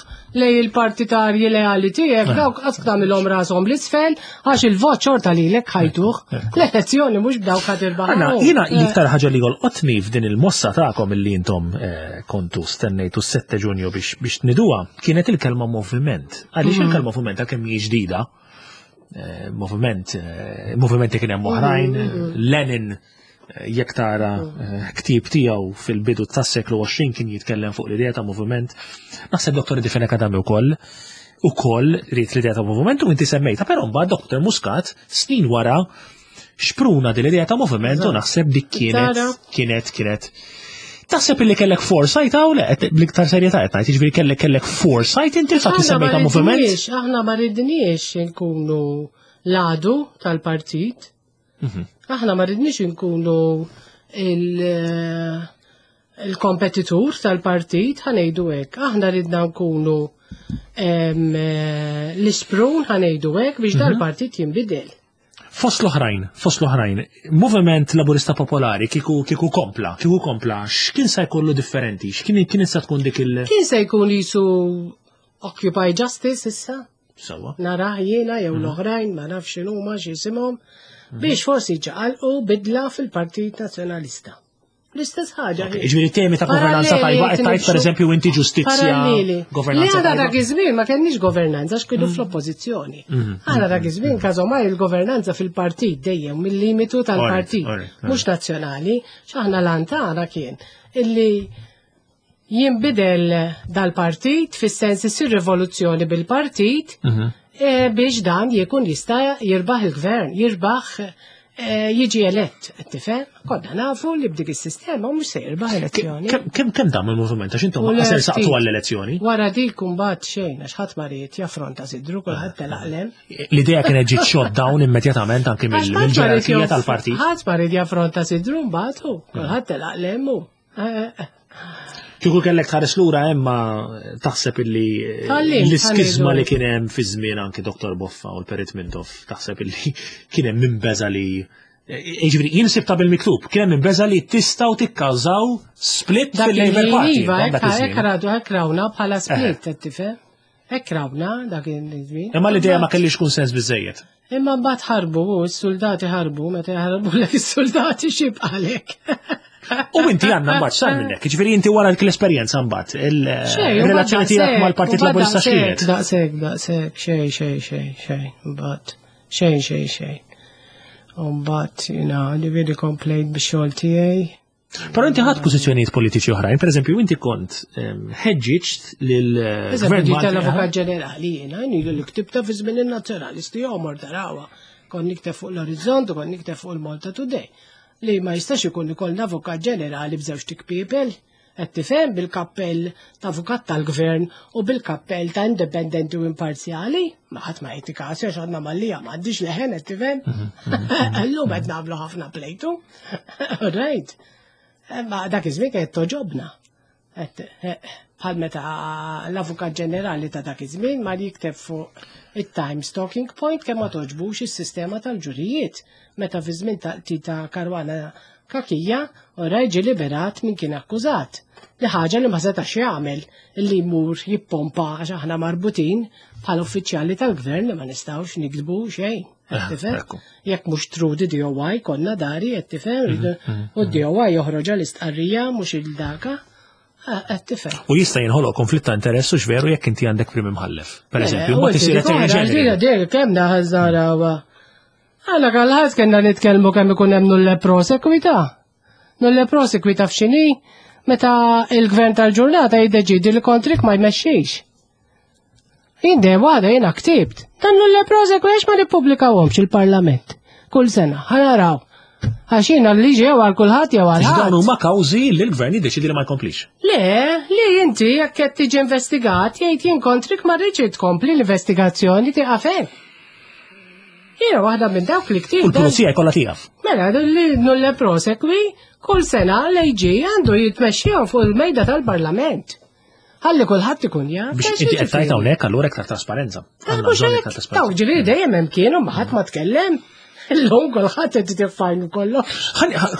lej il-partitarji leali tiegħek, dawk qatt tagħmilhom rashom l-isfel għax il-vot xorta lilek ħajtuh. L-elezzjoni mhux b'dawk ħad irbaħ. Anna, jiena l-iktar ħaġa li jolqotni f'din il-mossa tagħkom illi intom kontu stennejtu s-7 Ġunju biex tniduha kienet il-kelma moviment. Għaliex il-kelma moviment għalkemm hi ġdida, movimenti kien hemm oħrajn, Lenin jekk tara ktieb tiegħu fil-bidu tas-seklu 20 kien jitkellem fuq l-idea ta' moviment. Naħseb Dr. Eddie Fenech Adami ukoll ried l-idea ta' moviment u inti semmejta, però mbagħad Dr. Muscat snin wara xpruna din l-idea ta' moviment u naħseb dik Tara. kienet. Taħseb illi kellek foresight hawn le, qed bl-iktar serjetà qed ngħid, jiġifieri kellek foresight inti l-fatt li Aħna ma semmejta moviment? ridniex, aħna ma ridniex inkunu l-għadu tal-partit. Aħna ma ridniex inkunu il-kompetitur tal-partit, ħa ngħidu hekk. Aħna ridna nkunu l-isprun, ħa ngħidu hekk, biex dal-partit jinbidel. Fost l-oħrajn, Moviment Laburista Popolari kieku kompla, kieku kompla, x'kien se jkollu differenti? X'kien kien se tkun dik il- Kien se jkun jisu Occupy Justice issa? Sewwa. Narah jiena jew l-oħrajn, ma nafx x'inhuma x'isimhom, biex forsi ġaqalqu bidla fil-Partit Nazzjonalista. L-istess ħaġa. Ok, Jiġifieri temi ta' governanza Paralleli tajba, qed tgħid tinimxu. pereżempju inti ġustizzja, Paralleli. governanza Li għadha tajba. dak iż-żmien ma kenniex governanza għax kienu fl-oppożizzjoni. Għadha dak iż-żmien każomaj il-governanza fil-partit dejjem mill-limitu tal-partit, mhux nazzjonali, x'aħna lan tagħna kien illi jinbidel dal-partit fis-sens isir rivoluzzjoni bil-partit biex dan jkun jista' jirbaħ il-gvern, jirbaħ jiġi elett, qed tifhem? Konna nafu li b'dik is-sistema mhux se jirbaħ elezzjoni. Kemm dam il-moviment għax intom U ma se le, saqtu ftit. għall-elezzjoni? Wara dik imbagħad xejn għax ħadd ma ried jaffronta sidru kulħadd telaq lem. L-idea kienet ġiet shot down immedjatament anki Għax ħadd ma ried mill-ġerarkija jaff- tal-partit. Ħadd ma ried jaffronta sidru mbagħad hu, kulħadd telaq lem hu. Kieku kellek tħares lura emma taħseb illi Tgħallimt, l-iskizma ħa ngħidu. li kien hemm fi żmien anki Dr. Boffa u l-Perit Mintoff taħseb illi kien hemm min beża li Jiġifieri jien sibta bil-miktub, kien hemm min beża li tistgħu tikkawżaw split Dak fil-Labour il-ħin, Party. Iva, dak hekk iż-żmien. hekk radu hekk rawna bħala split, qed tifhem? Hekk rawna dak iż-żmien. Imma l-idea ma kellix kunsens biżejjed. Imma mbagħad ħarbu, u s-soldati ħarbu, meta jaħarbu lek is-soldati xibqalek. U inti għandna mbagħad sar minnek, jiġifieri inti wara dik l-esperjenza mbagħad il-relazzjoni tiegħek mal-Partit Laburista x'kienet? Daqshekk, daqshekk, xejn, xejn, xejn, xejn, mbagħad xejn, xejn, xejn. U mbagħad jiena ġifieri komplejt bix-xogħol tiegħi. Però inti ħadd pożizzjonijiet politiċi oħrajn, pereżempju inti kont ħeġġiġt lil Gvern tal-Avukat Ġenerali jiena ilu li ktibta fi żmien in-nazzjonalisti jomor tarawa. Kont nikteb fuq l-Orizzont u kont nikteb fuq il-Malta Today. Li ma jistax ikun ikollna Avukat Ġenerali b'żewġ tikpiepel qed tifhem bil-kappell ta' avukat tal-gvern u bil-kappell ta' indipendenti u imparzjali, ma ħadd ma jagħti każ għax għandna mallija m'għandix leħen qed tifhem. Illum qed nagħmlu ħafna plejtu. Right. Ma dak iż-żmien kienet toġobna. Eh, bħal meta l-Avukat Ġenerali ta' dak iż-żmien mar jikteb fuq it-Times Talking Point kemm ma toġbux is-sistema tal-ġurijiet meta fi żmien ta' ta' Karwana Kakija u ġie liberat minn kien akkużat. Li ħaġa li ma setax jagħmel li jmur jippompa għax aħna marbutin bħal uffiċjali tal-gvern li ma nistgħux nikdbu xejn. Tifhem? Jekk mhux true the DOI konna dari qed tifhem u d-DOI joħroġ l-istqarrija mhux il-daka. Qed tifhem. U jista' jinħoloq konflitt ta' interess u x'veru jekk inti għandek prim imħallef. Per eżempju, mbagħad isir attorney general. Kemm naħażara Għala għal-ħadd kellna nitkellmu kemm ikun hemm nulle prosekwita. Nulle prosekwita f'xini meta il-gvern tal-ġurnata jiddeċidi li kontrik ma jmexxix. Jien dejjem waħda jiena ktibt. Dan nulle prosequi għax ma nippubblikawhomx il-Parlament. Kull sena, ħanaraw. Għax jiena l-liġi jew għal kulħadd jew għal ħadd. Dawn huma kawżi li l-gvern jiddeċidi li ma jkomplix. Le, li inti jekk qed tiġi investigat jgħid jien kontrik ma rridx tkompli l-investigazzjoni tieqaf hemm. Jiena waħda minn dawk li ktibt. U l-pulizija jkollha tieqaf. Mela, li nulle prosekwi kull sena l-AG għandu jitmexxihom fuq il-mejda tal-Parlament. Ħalli kulħadd ikun jaf. Biex inti qed tgħid hawnhekk allura iktar trasparenza. Mhux hekk. Taw ġifieri dejjem hemm kienu ma ħadd ma tkellem. Illum kulħadd qed tifajn kollox.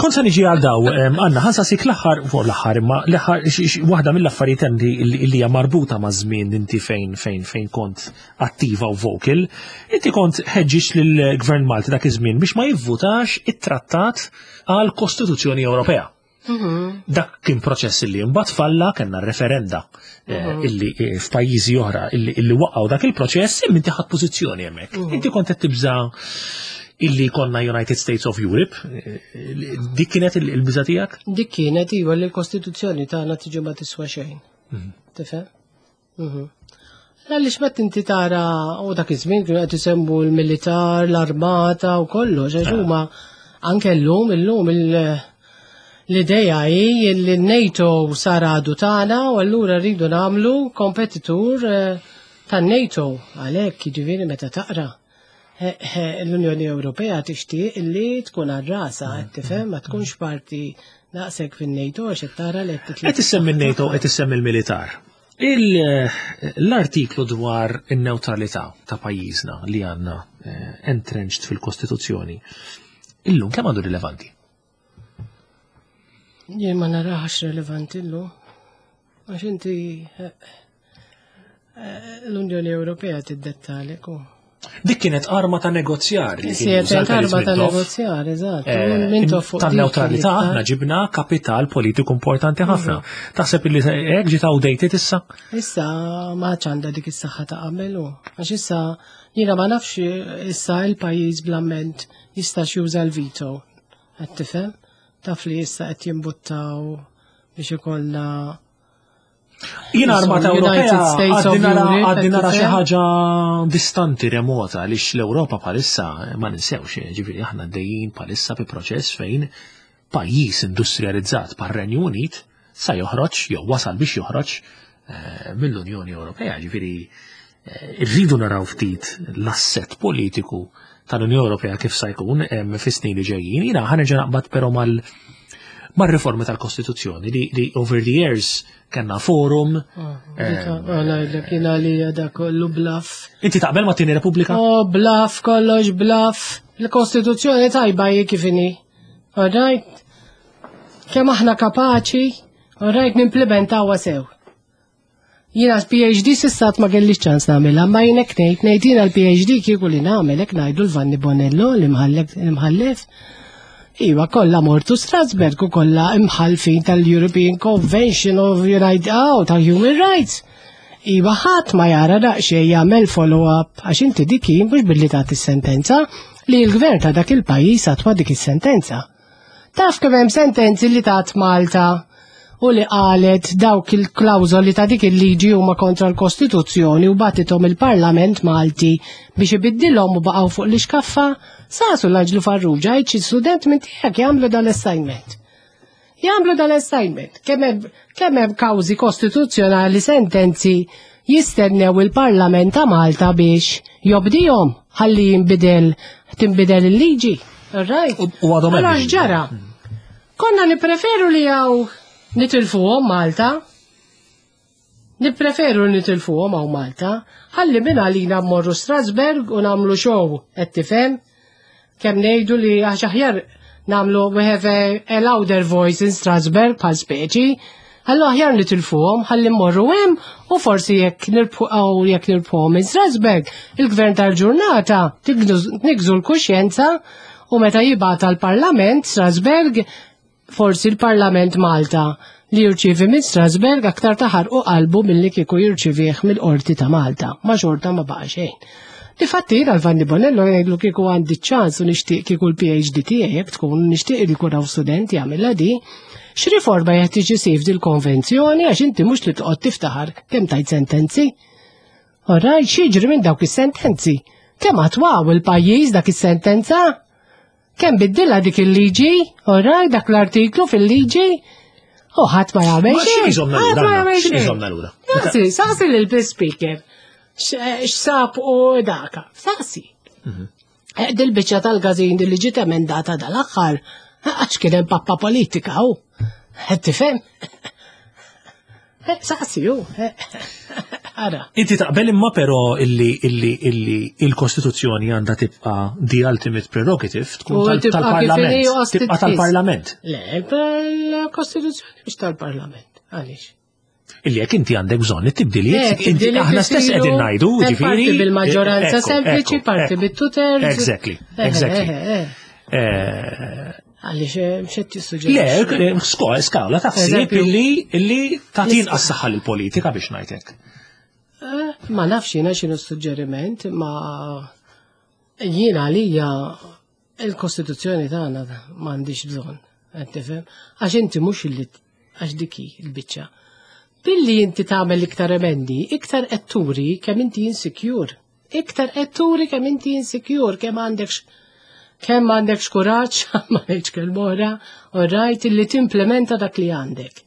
Kont se niġi għal daw, Anna, ħansa sik l-aħħar fuq l-aħħar imma l-aħħar waħda mill-affarijiet hemm li hija marbuta ma' żmien inti fejn fejn fejn kont attiva u vocal, inti kont ħeġġiġt lill-Gvern Malti dak iż-żmien biex ma jivvutax it-trattat għal Kostituzzjoni Ewropea. Mhm. Dak kien proċess illi mbagħad falla kellna referenda eh, mhm. illi eh, f'pajjiżi oħra illi waqgħu dak il-proċess imma inti ħadd pożizzjoni hemmhekk. Mhm. Inti kont qed tibża' illi konna United States of Europe, eh, dik kienet il-biża tiegħek? Dik kienet iva li l-Kostituzzjoni tagħna tiġi ma tiswa xejn. Tifhem? Għaliex meta inti tara u dak iż-żmien kienu qed isemmu l-militar, l-armata u kollox, għax huma anke llum illum l-idea hi li n-NATO sar għadu tagħna u allura rridu nagħmlu kompetitur eh, tan-NATO għalhekk jiġifieri meta taqra eh, eh, l-Unjoni Ewropea tixtieq li tkun għar-rasa, qed tifhem ma tkunx parti daqshekk fin-NATO għax qed tara li qed Qed issemmi n-NATO, qed issemmi l-militar. L-artiklu dwar in-newtralità ta' pajjiżna li għandna eh, entrenched fil-Kostituzzjoni, illum kemm għandu rilevanti? Jien ma narax rilevanti llum. Għax inti eh, eh, l-Unjoni Ewropea tiddettalek u. Dik kienet arma ta' negozjar. li kien Kienet juża arma ta' Mintoff. negozjar, eżatt. Eh, Mintoff fuq dik Tan-neutralità kien aħna ġibna kapital politiku importanti ħafna. Taħseb illi hekk ġiet outdated issa? Issa ma għandha dik is-saħħa ta' qabel u għax issa jiena ma nafx issa il-pajjiż bl-amment jistax juża l-veto. Qed tifhem? Taf li issa qed jimbuttaw biex ikollna Jien armata United Ewropea States of għadni nara Europe, għadni nara xi qed ħaġa distanti remota għaliex l-Ewropa bħalissa ma ninsewx, ġifieri aħna għaddejjin bħalissa bi proċess fejn pajjiż industrializzat par-Renju Unit sa joħroġ jew wasal biex joħroġ eh, mill-Unjoni Ewropea, ġifieri eh, rridu naraw ftit l-asset politiku tal-Unjoni Ewropea kif sa jkun fis-snin li ġejjin. Jiena ħanerġa' naqbad però mal mar-riformi tal-Kostituzzjoni li, li over the years kellna forum. Għanajdlek jina li da kollu bluff. Inti taqbel ma' tieni Repubblika? Oh, bluff, kollox bluff. Il-Kostituzzjoni tajba hi kif inhi. All right? Kemm aħna kapaċi, all right, nimplementawha sew. Jiena PhD s'issa ma kellix ċans nagħmilha, ma jien hekk ngħid, ngħid jiena l-PhD kieku li nagħmel hekk ngħidu l-Vanni Bonello li mħallef. Iva, kollha mortu Strasberg u kollha imħalfin tal-European Convention of United oh, tal-Human Rights. Iva, ħadd ma jara daqsxejn jagħmel follow-up għax inti dik mhux billi tagħti sentenza li l-gvern ta' dak il-pajjiż attwa dik is-sentenza. Taf kemm hemm sentenzi li tat Malta u li qalet dawk il-klawżoli ta' dik il-liġi huma kontra l-Kostituzzjoni u bagħtithom il-Parlament Malti biex ibiddilhom u baqgħu fuq l-ixkaffa, saqsu l-Anġlu Farrugia jgħid xi student minn tiegħek jagħmlu dal-assignment. Jagħmlu dal-assignment. Kemm hemm kawżi kostituzzjonali sentenzi jistennew il-Parlament ta' Malta biex jobdihom ħalli jinbidel tinbidel il-liġi. Right? U għadhom Allora x'ġara? Konna nippreferu li hawn nitilfuhom Malta. Nippreferu li nitilfuhom hawn Malta. Ħalli minn għalina mmorru Strasberg u nagħmlu show, qed tifhem? Kemm ngħidu li għax aħjar nagħmlu we have a, a louder voice in Strasberg bħal speċi. Allora aħjar nitilfuhom ħalli mmorru hemm u forsi jekk nirbħu jekk nirbħuhom in Strasberg, il-gvern tal-ġurnata nigżu l-kuxjenza u meta jibgħat għall-Parlament Strasberg forsi l-Parlament Malta li jirċievi minn Strasberg aktar taħarqu qalbu milli kieku jirċivih mill-qorti ta' Malta. Ma xorta ma baqa' xejn. Difatti jiena l-Vanni Bonello jgħidlu kieku għandi ċans u nixtieq kieku l-PhD tiegħi jekk tkun nixtieq li jkun hawn student jagħmilha di, x'riforma jeħtieġ isir dil-konvenzjoni għax inti mhux li toqgħod tiftaħar kemm tajt sentenzi. Orrajt, x'jiġri minn dawk is-sentenzi? Kemm attwaw il-pajjiż dak is-sentenza? Kemm biddilha dik il-liġi? Orrajt, dak l-artiklu fil-liġi? U ħadd ma jagħmel xejn. Ħadd ma jagħmel xejn. Saqsi, saqsi lil speaker. X'sab u daka. Saqsi. Dil-biċċa tal-gazin li ġiet emendata dal-aħħar, għax kien hemm pappa politika u. Qed tifhem? Saqsi ju. Ara. Inti taqbel imma però illi illi illi il-Kostituzzjoni għandha tibqa' the ultimate prerogative tkun tal-Parlament. Tibqa' tal-Parlament. Le, il-Kostituzzjoni mhux tal-Parlament. Għaliex? Illi jekk inti għandek bżonn it-tibdiliet, inti aħna stess qegħdin ngħidu, ġifieri. Parti bil-maġġoranza sempliċi, parti bit-two-thirds. Exactly, exactly. Għaliex xed tissuġġerixxi? Le, skala ta' ħsieb illi illi tagħti inqas saħħa lill-politika biex ngħidlek. Ma nafx jiena x'inhu suġġeriment, ma jiena għalija il-Kostituzzjoni tagħna m'għandix bżonn, qed tifhem? Għax inti mhux illi għax diki l-biċċa. Billi inti tagħmel iktar emendi, iktar qed turi kemm inti insecure. Iktar qed turi kemm inti insecure, kemm għandek kemm għandek kuraġġ, ma ngħidx kelma oħra, rajt illi timplementa dak li għandek.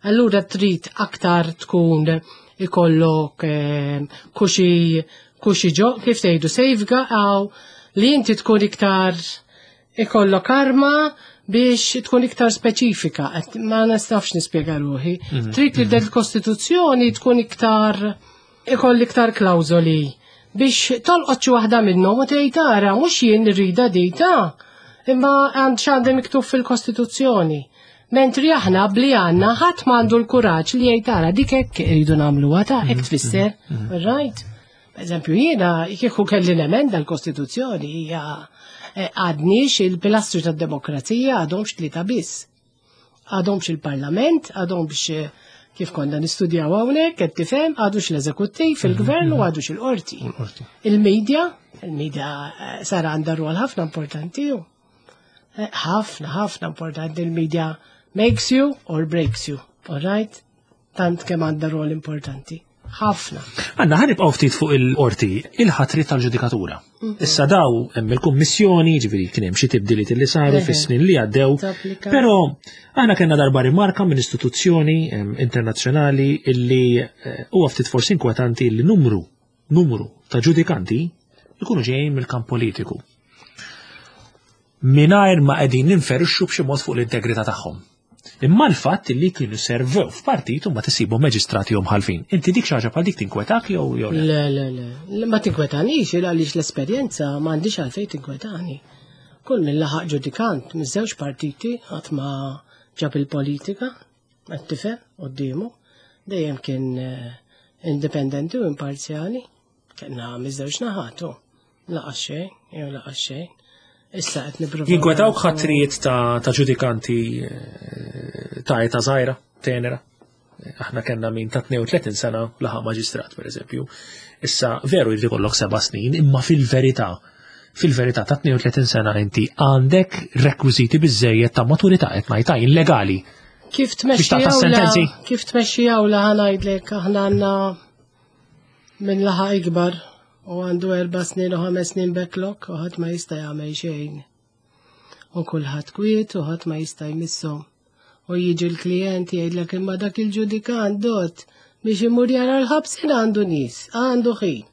Allura trid aktar tkun ikollok kuxi kuxi ġo, kif tgħidu safeguard għaw li inti tkun iktar ikollok arma biex tkun iktar speċifika. Ma nistafx nispjega ruħi. Trid li del-Kostituzzjoni tkun iktar ikoll iktar klawżoli biex tolqot xi waħda minnhom u tgħid ara mhux jien nirrida dita imma għand x'għandha miktub fil-Kostituzzjoni. Mentri aħna bli għandna ħadd m'għandu l-kuraġġ li jgħid ara dik hekk iridu nagħmluha ta' hekk tfisser. Right? Eżempju, jiena kieku kelli nemenda l-Kostituzzjoni hija għadniex il-pilastri tad-demokrazija għadhomx tlieta biss. Għadhomx il-Parlament, għadhomx kif konna nistudjaw hawnhekk, qed tifhem, għadux l-eżekuttiv, il-gvern u għadux il-qorti. Il-medja, il-medja sara għandha rwol ħafna importanti ju. Ħafna, ħafna importanti il-media makes you or breaks you, all right? Tant kemm għandha rwol importanti. Ħafna. Għanna ħa nibqgħu ftit fuq il-qorti, il-ħatri tal-ġudikatura. Issa daw hemm il-kummissjoni, ġifieri kien hemm xi tibdiliet li saru fis-snin li għaddew. Però aħna kellna darba rimarka minn istituzzjoni internazzjonali illi huwa ftit forsi inkwetanti li numru numru ta' ġudikanti ikunu ġejjin mill-kamp politiku. Mingħajr ma qegħdin ninferixxu b'xi mod fuq l-integrità tagħhom. Imma l-fatt li kienu servew f'partit u ma tisibu maġistrati u mħalfin. Inti dik xi ħaġa bħal dik tinkwetak jew jew le? Le, le, le. Ma tinkwetanix, għaliex l-esperjenza m'għandix għalfejn tinkwetani. Kull min laħaq ġudikant miż-żewġ partiti qatt ma ġab il-politika, qed tifhem quddiemu, dejjem kien Indipendenti u imparzjali. Kellna miż-żewġ naħat, u laqas xejn, jew laqas xejn. Issa qed nippruvaw. Jinkwetawk ħatrijiet ta' ġudikanti eh, ta' età żgħira, tenera. Aħna kellna min ta' 32 sena laħaq maġistrat, per eżempju. Issa veru jrid ikollok seba' snin, imma fil-verità fil-verità ta' 32 sena inti għandek rekwiżiti biżejjed ta' maturità qed ngħid legali. Kif tmexxi sentenzi? Kif tmexxi awla ħanajdlek aħna għandna minn laħa ikbar u għandu erba' snin u ħames snin backlog u ħadd ma jista' jagħmel xejn. U kulħadd kwiet u ħadd ma jista' jmisshom. U jiġi l-klijent jgħidlek imma dak il-ġudikant dot biex imur jara l-ħabsin għandu nies, għandu ħin.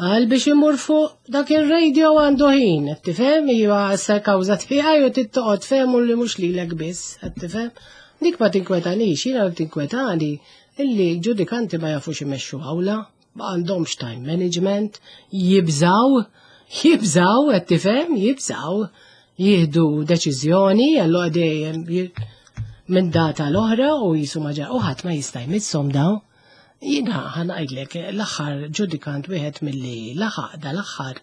Għal biex imur fuq dak il-radio għandu ħin, qed tifhem, iva issa kawża tiegħi u tittoqgħod fehmu li mhux lilek biss, qed tifhem. Dik ma tinkwetanix, jiena li tinkwetani illi ġudikanti ma jafux imexxu awla, ma għandhomx time management, jibżaw, jibżaw, qed tifhem, jibżaw, jieħdu deċiżjoni, allura dejjem minn data l-oħra u jisu ma u ħadd ma jista' jmisshom daw. Jiena ħa ngħidlek l-aħħar ġudikant wieħed milli laħaq dal-aħħar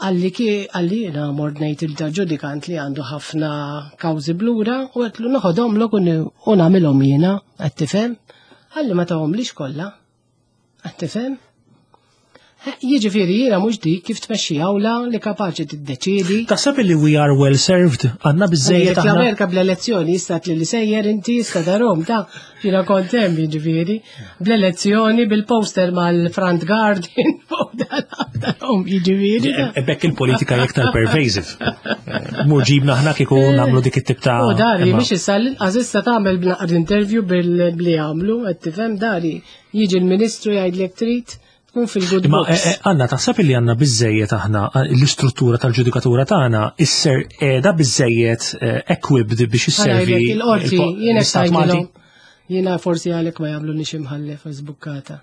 għalli ki għalli jiena mort ngħid il ġudikant li għandu ħafna kawżi blura u għedtlu noħodhomlok u nagħmilhom jiena, qed tifhem? Għalli ma tahomlix kollha. Qed tifhem? Jiġifieri jiena mhux dik kif tmexxi awla li kapaċi tiddeċiedi. Taħseb li we are well served għandna biżejjed aħna. L-Amerika bl-elezzjoni jista' li sejjer inti jista' darom ta' jiena kont hemm jiġifieri bl-elezzjoni bil-poster mal-front garden fuq darom jiġifieri. Ebek il-politika iktar pervasive. Eh, mur ġibna aħna kieku nagħmlu dik it-tip ta' U dari biex issa l-inqas issa tagħmel b'naqra interview bil-li għamlu qed tifhem dari jiġi l-Ministru jgħidlek trid tkun fil-good Imma books. eh, eh, Anna, taħseb li għandna biżejjed aħna eh, l-istruttura tal-ġudikatura tagħna isser qiegħda biżejjed eh, equipped biex isservi Ħa ngħidlek il-qorti, il-po- jiena l-Istat Malti? ngħidilhom, jiena forsi għalek ma jagħmlu nix imħallef żbukkata.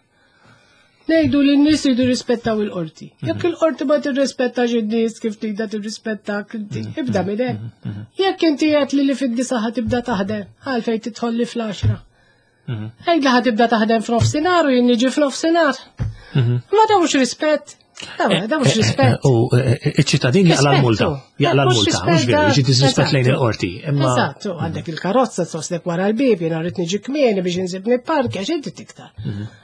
Ngħidu li n-nies jridu rispettaw il-qorti. Jekk il-qorti ma tirrispettax in-nies kif tida tirrispettak inti, ibda minn hemm. Jekk inti qed li li fid-disa ħa tibda taħdem, għalfejn tidħol li fl-10. Għidla ħa tibda taħdem f'nofsinhar u jien niġi f'nofsinhar. Ma da mhux rispett. Da da mhux rispett. U iċ-ċittadin jaqla l-multa. Jaqla l-multa, mhux veru, jiġi disrispett lejn il-qorti. Imma Eżatt, u għandek il-karozza soslek wara l-bib, jiena rrid niġi kmieni biex insib nipparkja x'inti tiktar.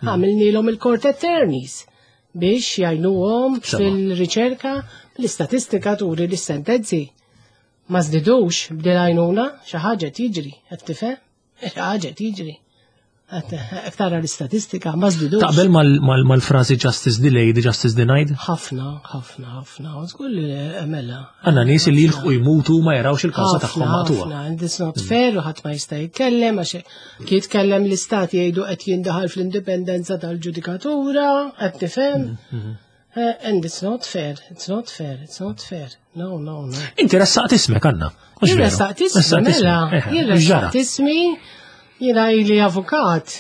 Għamilnilhom il-court attorneys biex jgħinuhom Sema. fil-riċerka l-istatistika turi li s-sentenzi ma żdidux b'dil għajnuna xi ħaġa tiġri, qed tifhem? Xi ħaġa tiġri. Qed tara l-istatistika ma żdidux. taqbel mal-frażi justice delayed, justice denied? Ħafna, ħafna, ħafna. Żgur li mela. Għandna nies li jilħqu jmutu ma jarawx il-kawża tagħhom maqtuha. Ħafna, and it's not fair u ħadd ma jista' jitkellem għax kif jitkellem l-istat jgħidu qed jindaħal fl-indipendenza tal-ġudikatura, qed tifhem. And it's not fair, it's not fair, it's not fair. No, no, no. Inti ressaqt ismek Anna. Mhux Jien veru? ressaqt ismi, mela, Eh, jien x'ġara? ressaqt ismi, jiena ili avukat,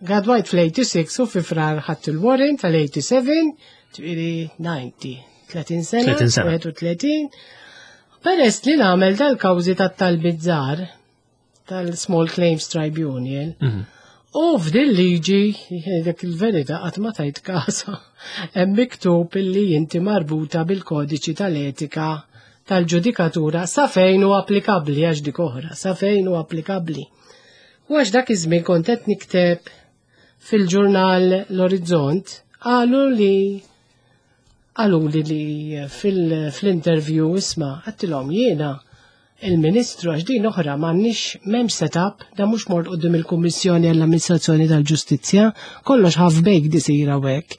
gradwajt fl-86 u fi frar ħadd il-warrant tal-87, ġifieri 90, 30 sena, 30 sena. 31. Peress li nagħmel dal-kawżi tat-talbiet żgħar tal-Small Claims Tribunal, U f'din liġi, dak il-verità qatt ma tajt kasa, hemm miktub illi inti marbuta bil-kodiċi tal-etika tal-ġudikatura sa fejn hu applikabbli għax dik oħra, sa fejn hu applikabbli. U għax dak iż-żmien kont qed nikteb fil-ġurnal L-Orizzont, qalu li qalu li li fil-interview isma' għedtilhom jiena il-Ministru għax din oħra m'għandniex m'hemmx setup, da mhux mort quddiem il-Kummissjoni għall-Amministrazzjoni tal-Ġustizzja, kollox half baked isir hawnhekk.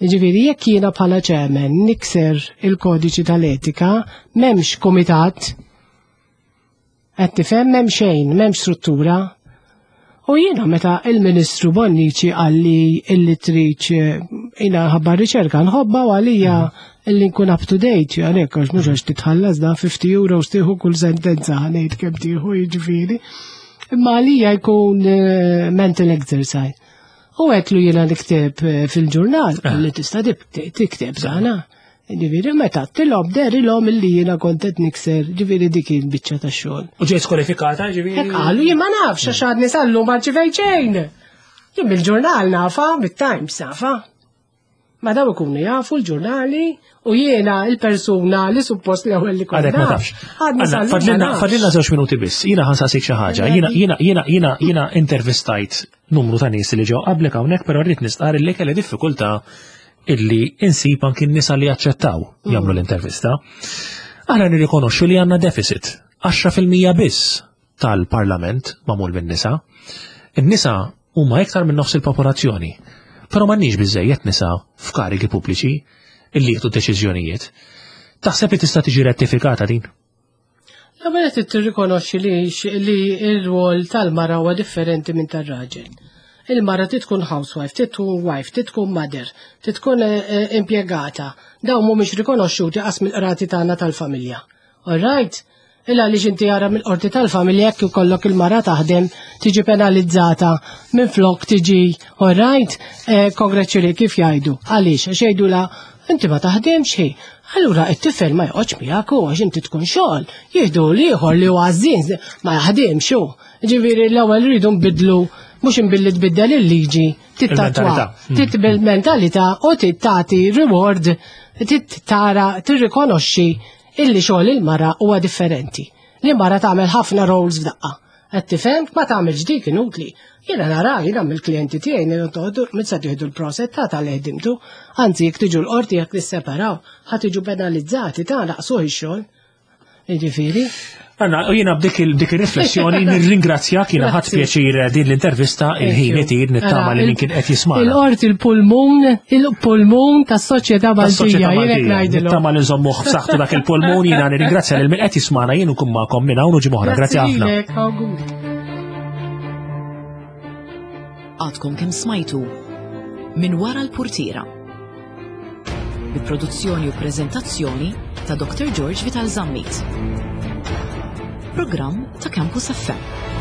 Ġifieri jekk jiena bħala chairman nikser il-kodiċi tal-etika, m'hemmx kumitat, qed tifhem m'hemm xejn, m'hemmx struttura. U jiena meta il-Ministru Bonnici qalli illi trid jiena ħabba riċerka nħobba u għalija illi nkun up to date, għalhekk għax mhux għax titħallas da 50 euro tieħu kull sentenza ħa ngħid kemm tieħu jiġifieri. Imma għalija jkun mental exercise. U għedtlu jiena nikteb fil-ġurnal, li tista' tikteb dana. Ġifieri meta tilhom derilhom illi jiena kont qed nikser, ġifieri dik il-biċċa tax-xogħol. U ġejt skwalifikata, ġifieri? Hekk qalu jien ma nafx għax għadni sal-lum ma rċivejt xejn. Jien bil-ġurnal nafa, bit-Times nafa. Ma daw ikunu jafu l-ġurnali u jiena il-persuna li suppost l-ewwel li konna. Għadek ma tafx. Fadlilna fadlilna żewġ minuti biss. Jiena ħansaqsik xi ħaġa. Jiena jiena jiena jiena jiena intervistajt numru ta' nies li ġew qablek hawnhekk, però rrid nistqar li kelli diffikultà illi insib anki n-nisa li jaċċettaw jagħmlu l-intervista. Aħna nirrikonoxxu li għandna deficit 10% biss tal-Parlament magħmul min-nisa. In-nisa huma iktar minn nofs il-popolazzjoni. Però m'għandniex biżejjed nisa f'karigi pubbliċi illi jieħdu deċiżjonijiet. Taħseb li tista' tiġi rettifikata din? L-ewwel qed tirrikonoxxi li li r-rwol tal-mara huwa differenti minn tar-raġel. Il-mara trid tkun housewife, trid tkun wife, trid tkun mother, trid tkun eh, eh, impjegata. Dawn mhumiex rikonoxxuti qas mill-qrati tagħna tal-familja. All right? Il għaliex inti ara mill-qorti tal-familja jekk ikollok il-mara taħdem tiġi penalizzata minn flok tiġi all right, eh, congratulate kif jgħidu. Għaliex għax jgħidu la inti ma taħdimx hi. Allura it-tifel ma joqgħodx miegħek u għax inti tkun xogħol. Jieħdu l-ieħor li huwa għażżien ma jaħdimx hu. Ġifieri l-ewwel rridu nbidlu mhux inbilli tbiddel il-liġi, tittatwa, titbil mentalità u tittati reward, tittara, tirrikonoxxi illi xogħol il-mara huwa differenti. Li mara tagħmel ħafna roles f'daqqa. Qed tifhem ma tagħmilx dik inutli. Jiena nara jiena mill-klijenti tiegħi nirtoħdu minn se tieħdu l-proset ta' tal-ħdimtu, anzi jekk tiġu l-qorti jekk nisseparaw, ħa tiġu penalizzati ta' naqsuh ix-xogħol. Jiġifieri. Anna, u jiena b'dik il-riflessjoni nirringrazzjak jiena ħadd pjaċir din l-intervista il-ħin itir nittama li min kien qed jisma'. Il-qorti il-pulmun, il-pulmun tas-soċjetà Maltija, jiena ngħidilhom. Nittama li nżommuh f'saħħtu dak il-pulmun jiena nirringrazzja lil min qed jismana jien nkun magħkom minn hawn u ġimgħa Grazzi ħafna. Għadkom kemm smajtu minn wara l-purtiera. Bi produzzjoni u preżentazzjoni ta' Dr. George Vital Zammit. Programm ta' Campus FM.